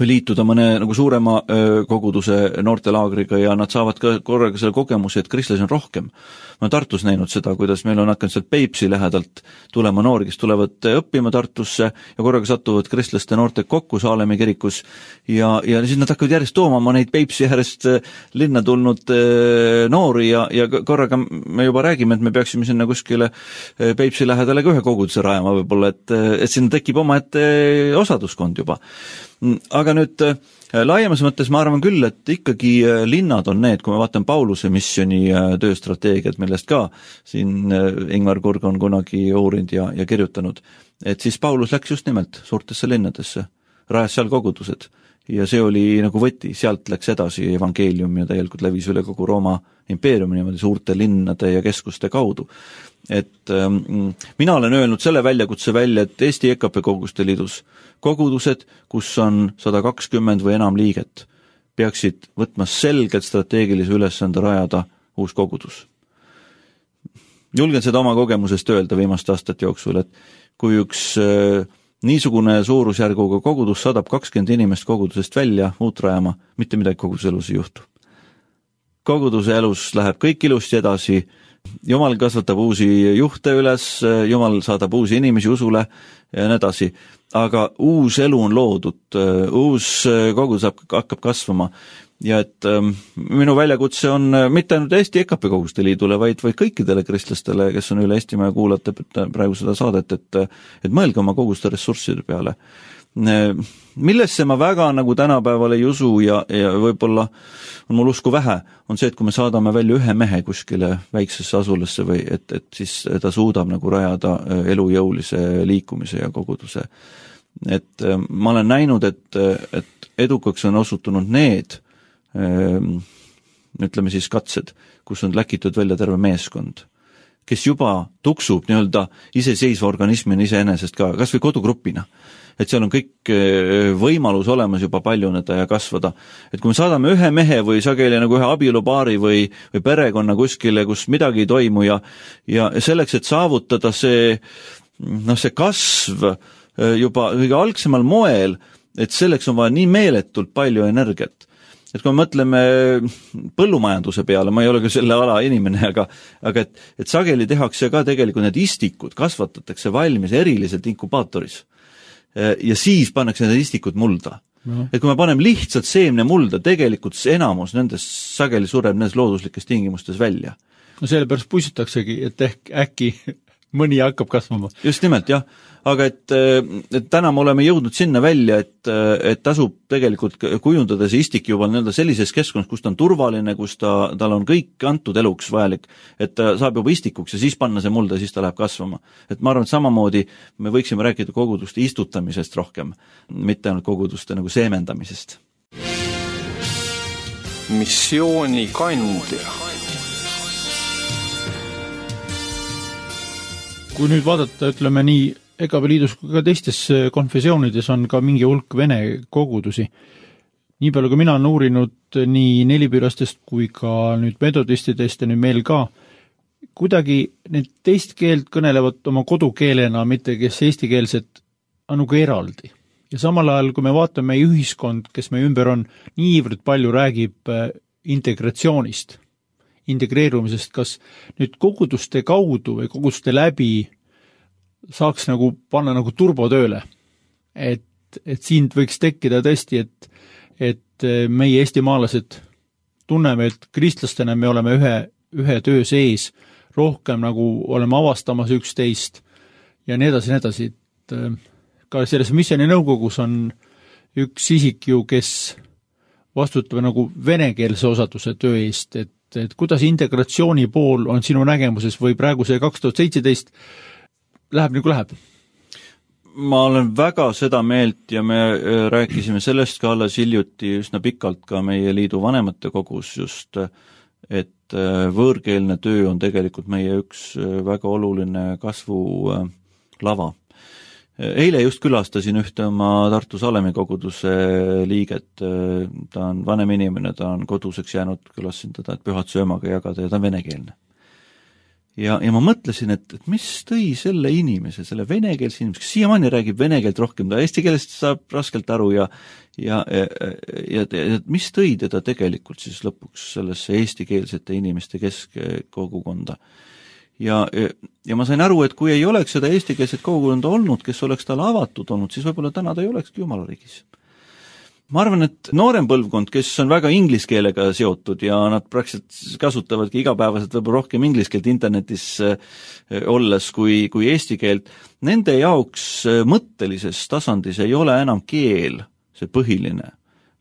või liituda mõne nagu suurema koguduse noortelaagriga ja nad saavad ka korraga selle kogemuse, et kristlasi on rohkem. Ma olen Tartus näinud seda, kuidas meil on hakanud sealt Peipsi lähedalt tulema noori, kes tulevad õppima Tartusse ja korraga satuvad kristlaste noortega kokku Saalemi kirikus ja siis nad hakkavad järjest tooma neid Peipsi äärest linna tulnud noori ja korraga me juba räägime, et me peaksime sinna kuskile Peipsi lähedale ka ühe koguduse rajama võib-olla, et sinna tekib omaette osaduskond juba. Aga nüüd Laiemas mõttes ma arvan küll, et ikkagi linnad on need, kui me vaatame Pauluse missiooni tööstrateegiat, millest ka siin Ingvar Kurg on kunagi uurinud ja kirjutanud, et siis Paulus läks just nimelt suurtesse linnadesse, rajas seal kogudused ja see oli nagu võti, sealt läks edasi evangeelium ja täielikult levis üle kogu Rooma impeeriumi niimoodi suurte linnade ja keskuste kaudu. Et mina olen öelnud selle väljakutse välja, et Eesti EKP Koguduste Liidus kogudused, kus on 120 või enam liiget, peaksid võtma selgelt strateegilise ülesande rajada uus kogudus. Julgen seda oma kogemusest öelda viimaste aastate jooksul, et kui üks niisugune suurusjärguga kogudus saadab 20 inimest kogudusest välja uut rajama, mitte midagi koguduse elus ei juhtu. Koguduse elus läheb kõik ilusti edasi, Jumal kasvatab uusi juhte üles, Jumal saadab uusi inimesi usule ja nii edasi, aga uus elu on loodud, uus kogudus hakkab kasvama ja et minu väljakutse on mitte ainult Eesti EKP Koguduste Liidule, vaid kõikidele kristlastele, kes on üle Eestimaa ja kuulate praegu seda saadet, et mõelge oma koguduste ressursside peale. Millesse ma väga nagu tänapäeval ei usu ja võib-olla on mul usku vähe, on see, et kui me saadame välja ühe mehe kuskile väiksesse asulasse või et siis ta suudab nagu rajada elujõulise liikumise ja koguduse. Et ma olen näinud, et edukaks on osutunud need, ütleme siis katsed, kus on läkitud välja terve meeskond, kes juba tuksub nii-öelda iseseisva organismina iseenesest ka, kas või kodugrupina. Et seal on kõik võimalus olemas juba paljuneda ja kasvada. Et kui me saadame ühe mehe või sageli nagu ühe abielupaari või perekonna kuskile, kus midagi ei toimu ja selleks, et saavutada see kasv juba kõige algsemal moel, et selleks on vaja nii meeletult palju energiat. Et kui me mõtleme põllumajanduse peale, ma ei ole küll selle ala inimene, aga et sageli tehakse ka tegelikult need istikud, kasvatatakse valmis eriliselt inkubaatoris. Ja siis pannakse need istikud mulda. No. Et kui me paneme lihtsalt seemne mulda, tegelikult enamus nendest sageli sureb nendes looduslikes tingimustes välja. No sellepärast pussitaksegi, et äkki mõni hakkab kasvama. Just nimelt, jah. Aga et täna me oleme jõudnud sinna välja, et tasub tegelikult kujundada see istik juba sellises keskkonnas, kus ta on turvaline, kus tal on kõik antud eluks vajalik, et ta saab juba istikuks ja siis panna see mulda ja siis ta läheb kasvama. Et ma arvan, et samamoodi me võiksime rääkida koguduste istutamisest rohkem, mitte ainult koguduste nagu seemendamisest. Missiooni kandja. Kui nüüd vaadata, ütleme nii, EKP Liidus kui ka teistes konfessioonides on ka mingi hulk vene kogudusi. Nii palju, kui mina olen uurinud nii nelipüürastest kui ka nüüd metodistidest ja nüüd meil ka, kuidagi need teist keelt kõnelevad oma kodukeelena, mitte kes eestikeelset on nagu eraldi. Ja samal ajal, kui me vaatame meie ühiskond, kes meie ümber on, niivõrd palju räägib integratsioonist, integreerumisest, kas nüüd koguduste kaudu või koguduste läbi saaks nagu panna nagu turbotööle, et siin võiks tekkida tõesti, et meie eestimaalased tunneme, et kristlastena me oleme ühe töö sees, rohkem nagu oleme avastamas üksteist ja nii edasi, et ka selles missiooni nõukogus on üks isik ju, kes vastutab nagu venekeelse osaduse töö eest, et kuidas integratsiooni pool on sinu nägemuses või praegu see 2017 läheb nagu läheb? Ma olen väga seda meelt ja me rääkisime sellest ka alles hiljuti üsna pikalt ka meie liidu vanemate kogus just, et võõrkeelne töö on tegelikult meie üks väga oluline kasvu lava. Eile just külastasin ühte oma Tartu Salemi koguduse liiget, ta on vanem inimene, ta on koduseks jäänud, külastasin teda, et pühad söömaga jagada ja ta on venekeelne. Ja ma mõtlesin, et mis tõi selle inimese, selle venekeelse inimese, kes siiamaani räägib venekeelt rohkem, ta eesti keelest saab raskelt aru ja mis tõi teda tegelikult siis lõpuks sellesse eestikeelsete inimeste keskkogukonda. Ja ma sain aru, et kui ei oleks seda eestikeelset kogukonda olnud, kes oleks talle avatud olnud, siis võib-olla täna ta ei olekski Jumalariigis. Ma arvan, et noorem põlvkond, kes on väga ingliskeelega seotud ja nad praktiliselt kasutavadki igapäevaselt võib-olla rohkem ingliskeelt internetis olles kui eesti keelt, nende jaoks mõttelises tasandis ei ole enam keel see põhiline,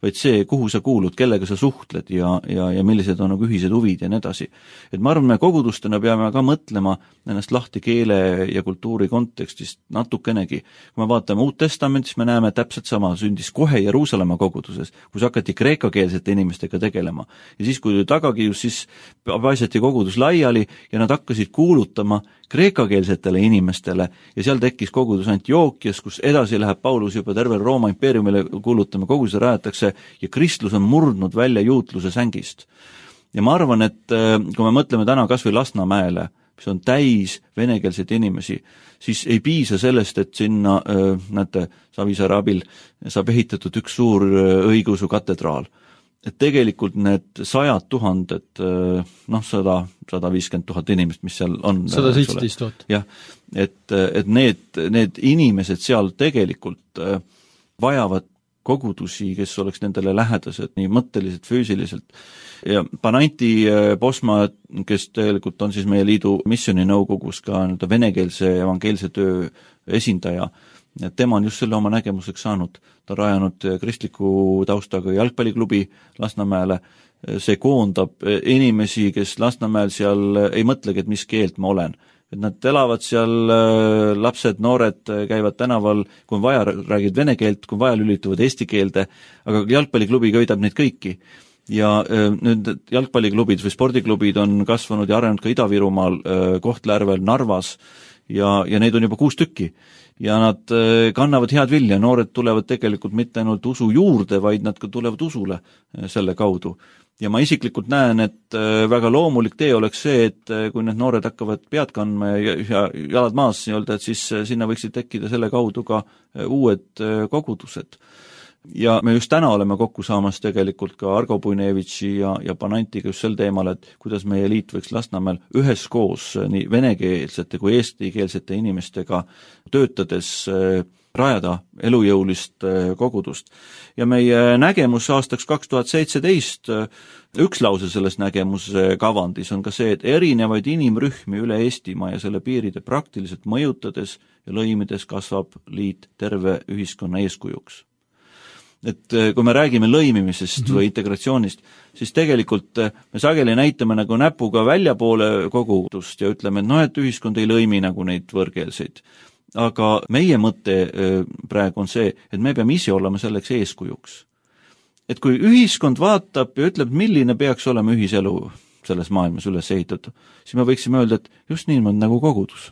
vaid see, kuhu sa kuulud, kellega sa suhtled ja millised on nagu ühised huvid ja nii edasi. Et ma arvan, me kogudustena peame ka mõtlema ennast lahti keele ja kultuuri kontekstist natukenegi. Kui me vaatame Uut Testamentis, me näeme täpselt sama, sündis kohe Jeruusalemma koguduses, kus hakati kreekakeelsete inimestega tegelema. Ja siis, kui tagakius, siis paisati kogudus laiali ja nad hakkasid kuulutama kreekakeelsetele inimestele ja seal tekkis kogudus Antiookias, kus edasi läheb Paulus juba terve Rooma impeeriumile kuulutama, koguduse rajatakse ja kristlus on murdnud välja juutluse sängist. Ja ma arvan, et kui me mõtleme täna kas või Lasnamäele, mis on täis venekeelseid inimesi, siis ei piisa sellest, et sinna, näete, Savisaare abil saab ehitatud üks suur õigeusu katedraal. Et tegelikult need 100 000, 150 000 inimest, mis seal on. 117 000. Jah, et need inimesed seal tegelikult vajavad kogudusi, kes oleks nendele lähedased, nii mõtteliselt, füüsiliselt. Ja Pananti Posma, kes tegelikult on siis meie liidu missiooninõukogus ka venekeelse evangeelse töö esindaja, tema on just selle oma nägemuseks saanud. Ta on rajanud kristliku taustaga jalgpalliklubi Lasnamäele. See koondab inimesi, kes Lasnamäel seal ei mõtlegi, et mis keelt ma olen. Et nad elavad seal, lapsed, noored käivad tänaval, kui on vaja, räägid vene keelt, kui vaja, lülituvad eesti keelde, aga jalgpalliklubi köidab neid kõiki. Ja nüüd jalgpalliklubid või spordiklubid on kasvanud ja arenenud ka Ida-Virumaal, Kohtla-Järvel, Narvas ja neid on juba 6 tükki. Ja nad kannavad head vilja, noored tulevad tegelikult mitte ainult usu juurde, vaid nad ka tulevad usule selle kaudu. Ja ma isiklikult näen, et väga loomulik tee oleks see, et kui need noored hakkavad pead kandma ja jalad maas, et siis sinna võiksid tekkida selle kaudu ka uued kogudused. Ja me just täna oleme kokku saamas tegelikult ka Argo Puinevitši ja Panantiga just sel teemal, et kuidas meie liit võiks Lasnamäel üheskoos nii venekeelsete kui eestikeelsete inimestega töötades rajada elujõulist kogudust. Ja meie nägemus aastaks 2017, üks lause selles nägemuse kavandis on ka see, et erinevaid inimrühmi üle Eestimaa ja selle piiride praktiliselt mõjutades ja lõimides kasvab liit terve ühiskonna eeskujuks. Et kui me räägime lõimimisest või integratsioonist, siis tegelikult me sageli näitame nagu näpuga väljapoole kogudust ja ütleme, et et ühiskond ei lõimi nagu neid võõrkeelseid. Aga meie mõte praegu on see, et me peame ise olema selleks eeskujuks. Et kui ühiskond vaatab ja ütleb, milline peaks olema ühiselu selles maailmas üles ehitatud, siis me võiksime öelda, et just niimoodi nagu kogudus.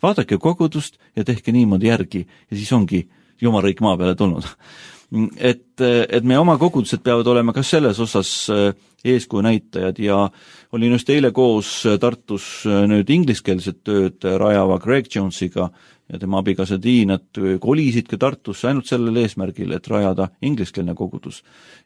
Vaadake kogudust ja tehke niimoodi järgi ja siis ongi Jumalriik maa peale tulnud. Et meie oma kogudused peavad olema ka selles osas eeskuju näitajad ja olin just eile koos Tartus nüüd ingliskeelset tööd rajava Greg Jonesiga ja tema abikaasa Dean, et kolisid ka Tartusse ainult sellel eesmärgil, et rajada ingliskeelne kogudus.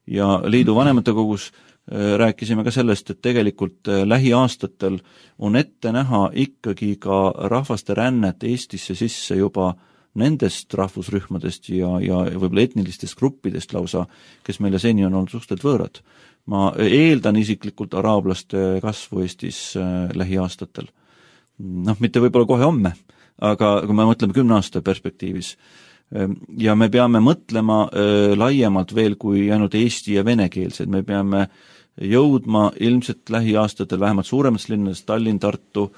Ja liidu vanemate kogus rääkisime ka sellest, et tegelikult lähiaastatel on ette näha ikkagi ka rahvaste rännet Eestisse sisse juba nendest rahvusrühmadest ja võib-olla etnilistest gruppidest lausa, kes meile seni on olnud suhteliselt võõrad. Ma eeldan isiklikult araablaste kasvu Eestis lähiaastatel. Mitte võib-olla kohe homme, aga kui me mõtleme 10 aasta perspektiivis. Ja me peame mõtlema laiemalt veel kui ainult eesti ja venekeelsed. Me peame jõudma ilmselt lähiaastatel vähemalt suuremast linnadest, Tallinn, Tartu,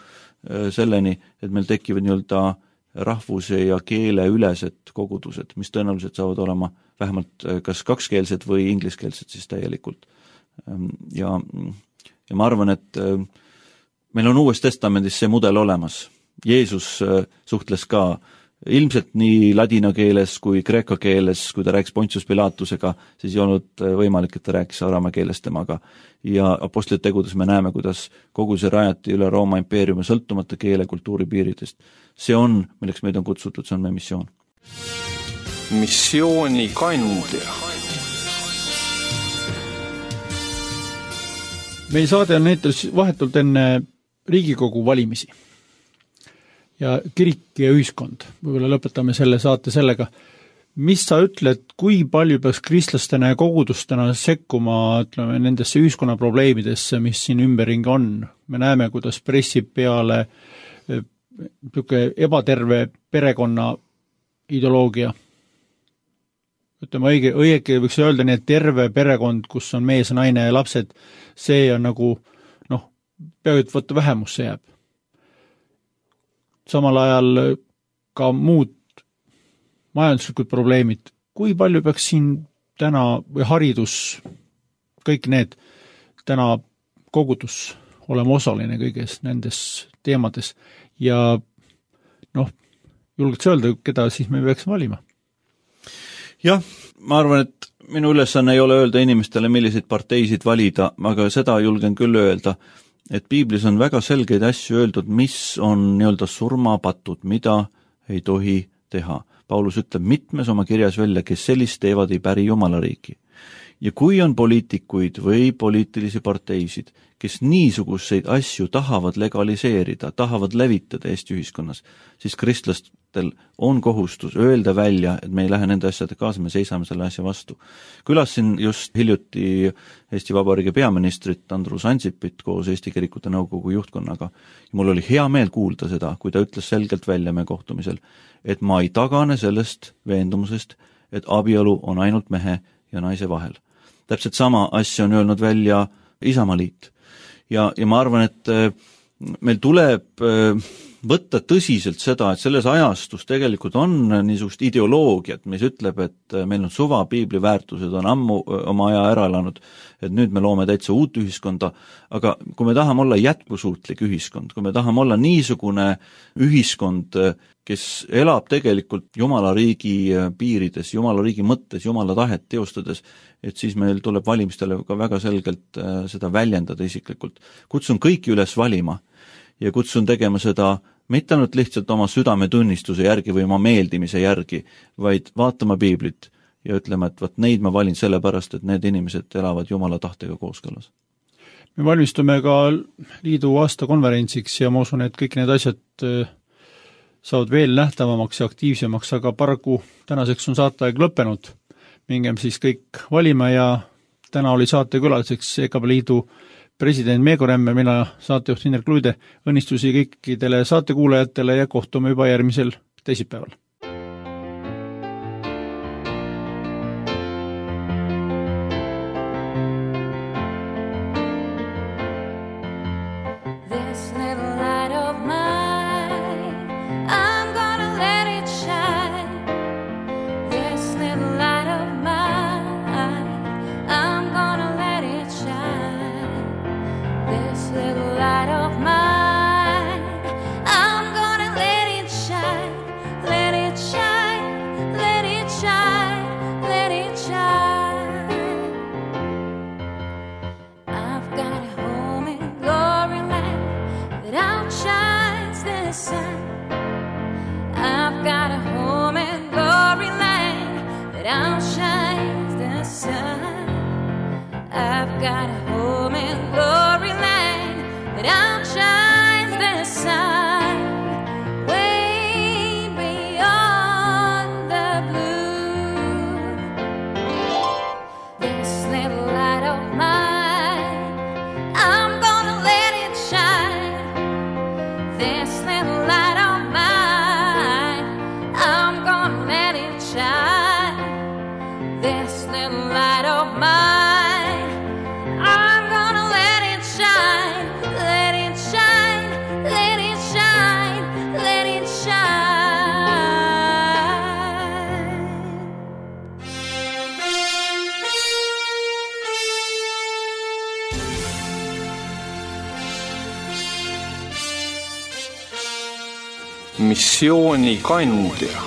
selleni, et meil tekivad nii-öelda rahvuse ja keele ülesed kogudused, mis tõenäoliselt saavad olema vähemalt kas kakskeelsed või ingliskeelsed siis täielikult. Ja ma arvan, et meil on Uues Testamendis see mudel olemas. Jeesus suhtles ka ilmselt nii ladina keeles kui kreeka keeles, kui ta rääkis Pontius Pilatusega, siis ei olnud võimalik, et ta rääkis araama keeles temaga. Ja apostlite tegudes me näeme, kuidas kogu see rajati üle Rooma impeeriumi sõltumata keele kultuuri piiridest. See on, milleks meid on kutsutud, see on meie missioon. Missiooni kandja. Meie saade on näitus vahetult enne Riigikogu valimisi. Ja kirik ja ühiskond. Võib-olla lõpetame selle saate sellega. Mis sa ütled, kui palju peaks kristlastena ja kogudustena sekkuma nendesse ühiskonna probleemidesse, mis siin ümberringi on? Me näeme, kuidas pressib peale ebaterve perekonna ideoloogia. ütleme õige võiks öelda nii, et terve perekond, kus on mees, naine ja lapsed, see on nagu peaaegu et võtta vähemusse jääb. Samal ajal ka muud majanduslikud probleemid, kui palju peaks siin täna või haridus, kõik need täna kogudus olema osaline kõiges nendes teemades ja julgeks öelda, keda siis me peaks valima? Jah, ma arvan, et minu ülesanne ei ole öelda inimestele, milliseid parteisid valida, aga seda julgen küll öelda, et piiblis on väga selgeid asju öeldud, mis on nii-öelda surmapatud, mida ei tohi teha. Paulus ütleb mitmes oma kirjas välja, kes sellist teevad, ei päri Jumala riiki. Ja kui on poliitikuid või poliitilisi parteisid, kes niisuguseid asju tahavad legaliseerida, tahavad levitada Eesti ühiskonnas, siis kristlastel on kohustus öelda välja, et me ei lähe nende asjade kaasa, me seisame selle asja vastu. Külasin just hiljuti Eesti Vabariigi peaministrit Andrus Ansipit koos Eesti Kirikute Nõukogu juhtkonnaga. Ja mul oli hea meel kuulda seda, kui ta ütles selgelt välja meie kohtumisel, et ma ei tagane sellest veendumusest, et abielu on ainult mehe ja naise vahel. Täpselt sama asja on öelnud välja Isamaliit. Ja ma arvan, et meil tuleb võtta tõsiselt seda, et selles ajastus tegelikult on niisugust ideoloogiat, mis ütleb, et meil on suva, piibli väärtused on ammu oma aja ära elanud, et nüüd me loome täitsa uut ühiskonda, aga kui me tahame olla jätkusuutlik ühiskond, kui me tahame olla niisugune ühiskond, kes elab tegelikult Jumala riigi piirides, Jumala riigi mõttes, Jumala tahet teostades, et siis meil tuleb valimistele ka väga selgelt seda väljendada isiklikult. Kutsun kõiki üles valima ja kutsun tegema seda mitte ainult lihtsalt oma südametunnistuse järgi või oma meeldimise järgi, vaid vaatama piiblit ja ütlema, et võt neid ma valin sellepärast, et need inimesed elavad Jumala tahtega kooskõlas. Me valmistume ka liidu aastakonverentsiks ja ma usun, et kõik need asjad saavad veel nähtavamaks ja aktiivsemaks, aga paraku tänaseks on saateaeg lõppenud. Mingem siis kõik valima ja täna oli saatekülaliseks EKP liidu president Meego Remme, mina saatejuht Indrek Luide, õnnistusi kõikidele saatekuulajatele ja kohtume juba järgmisel teisipäeval. Missiooni kandja.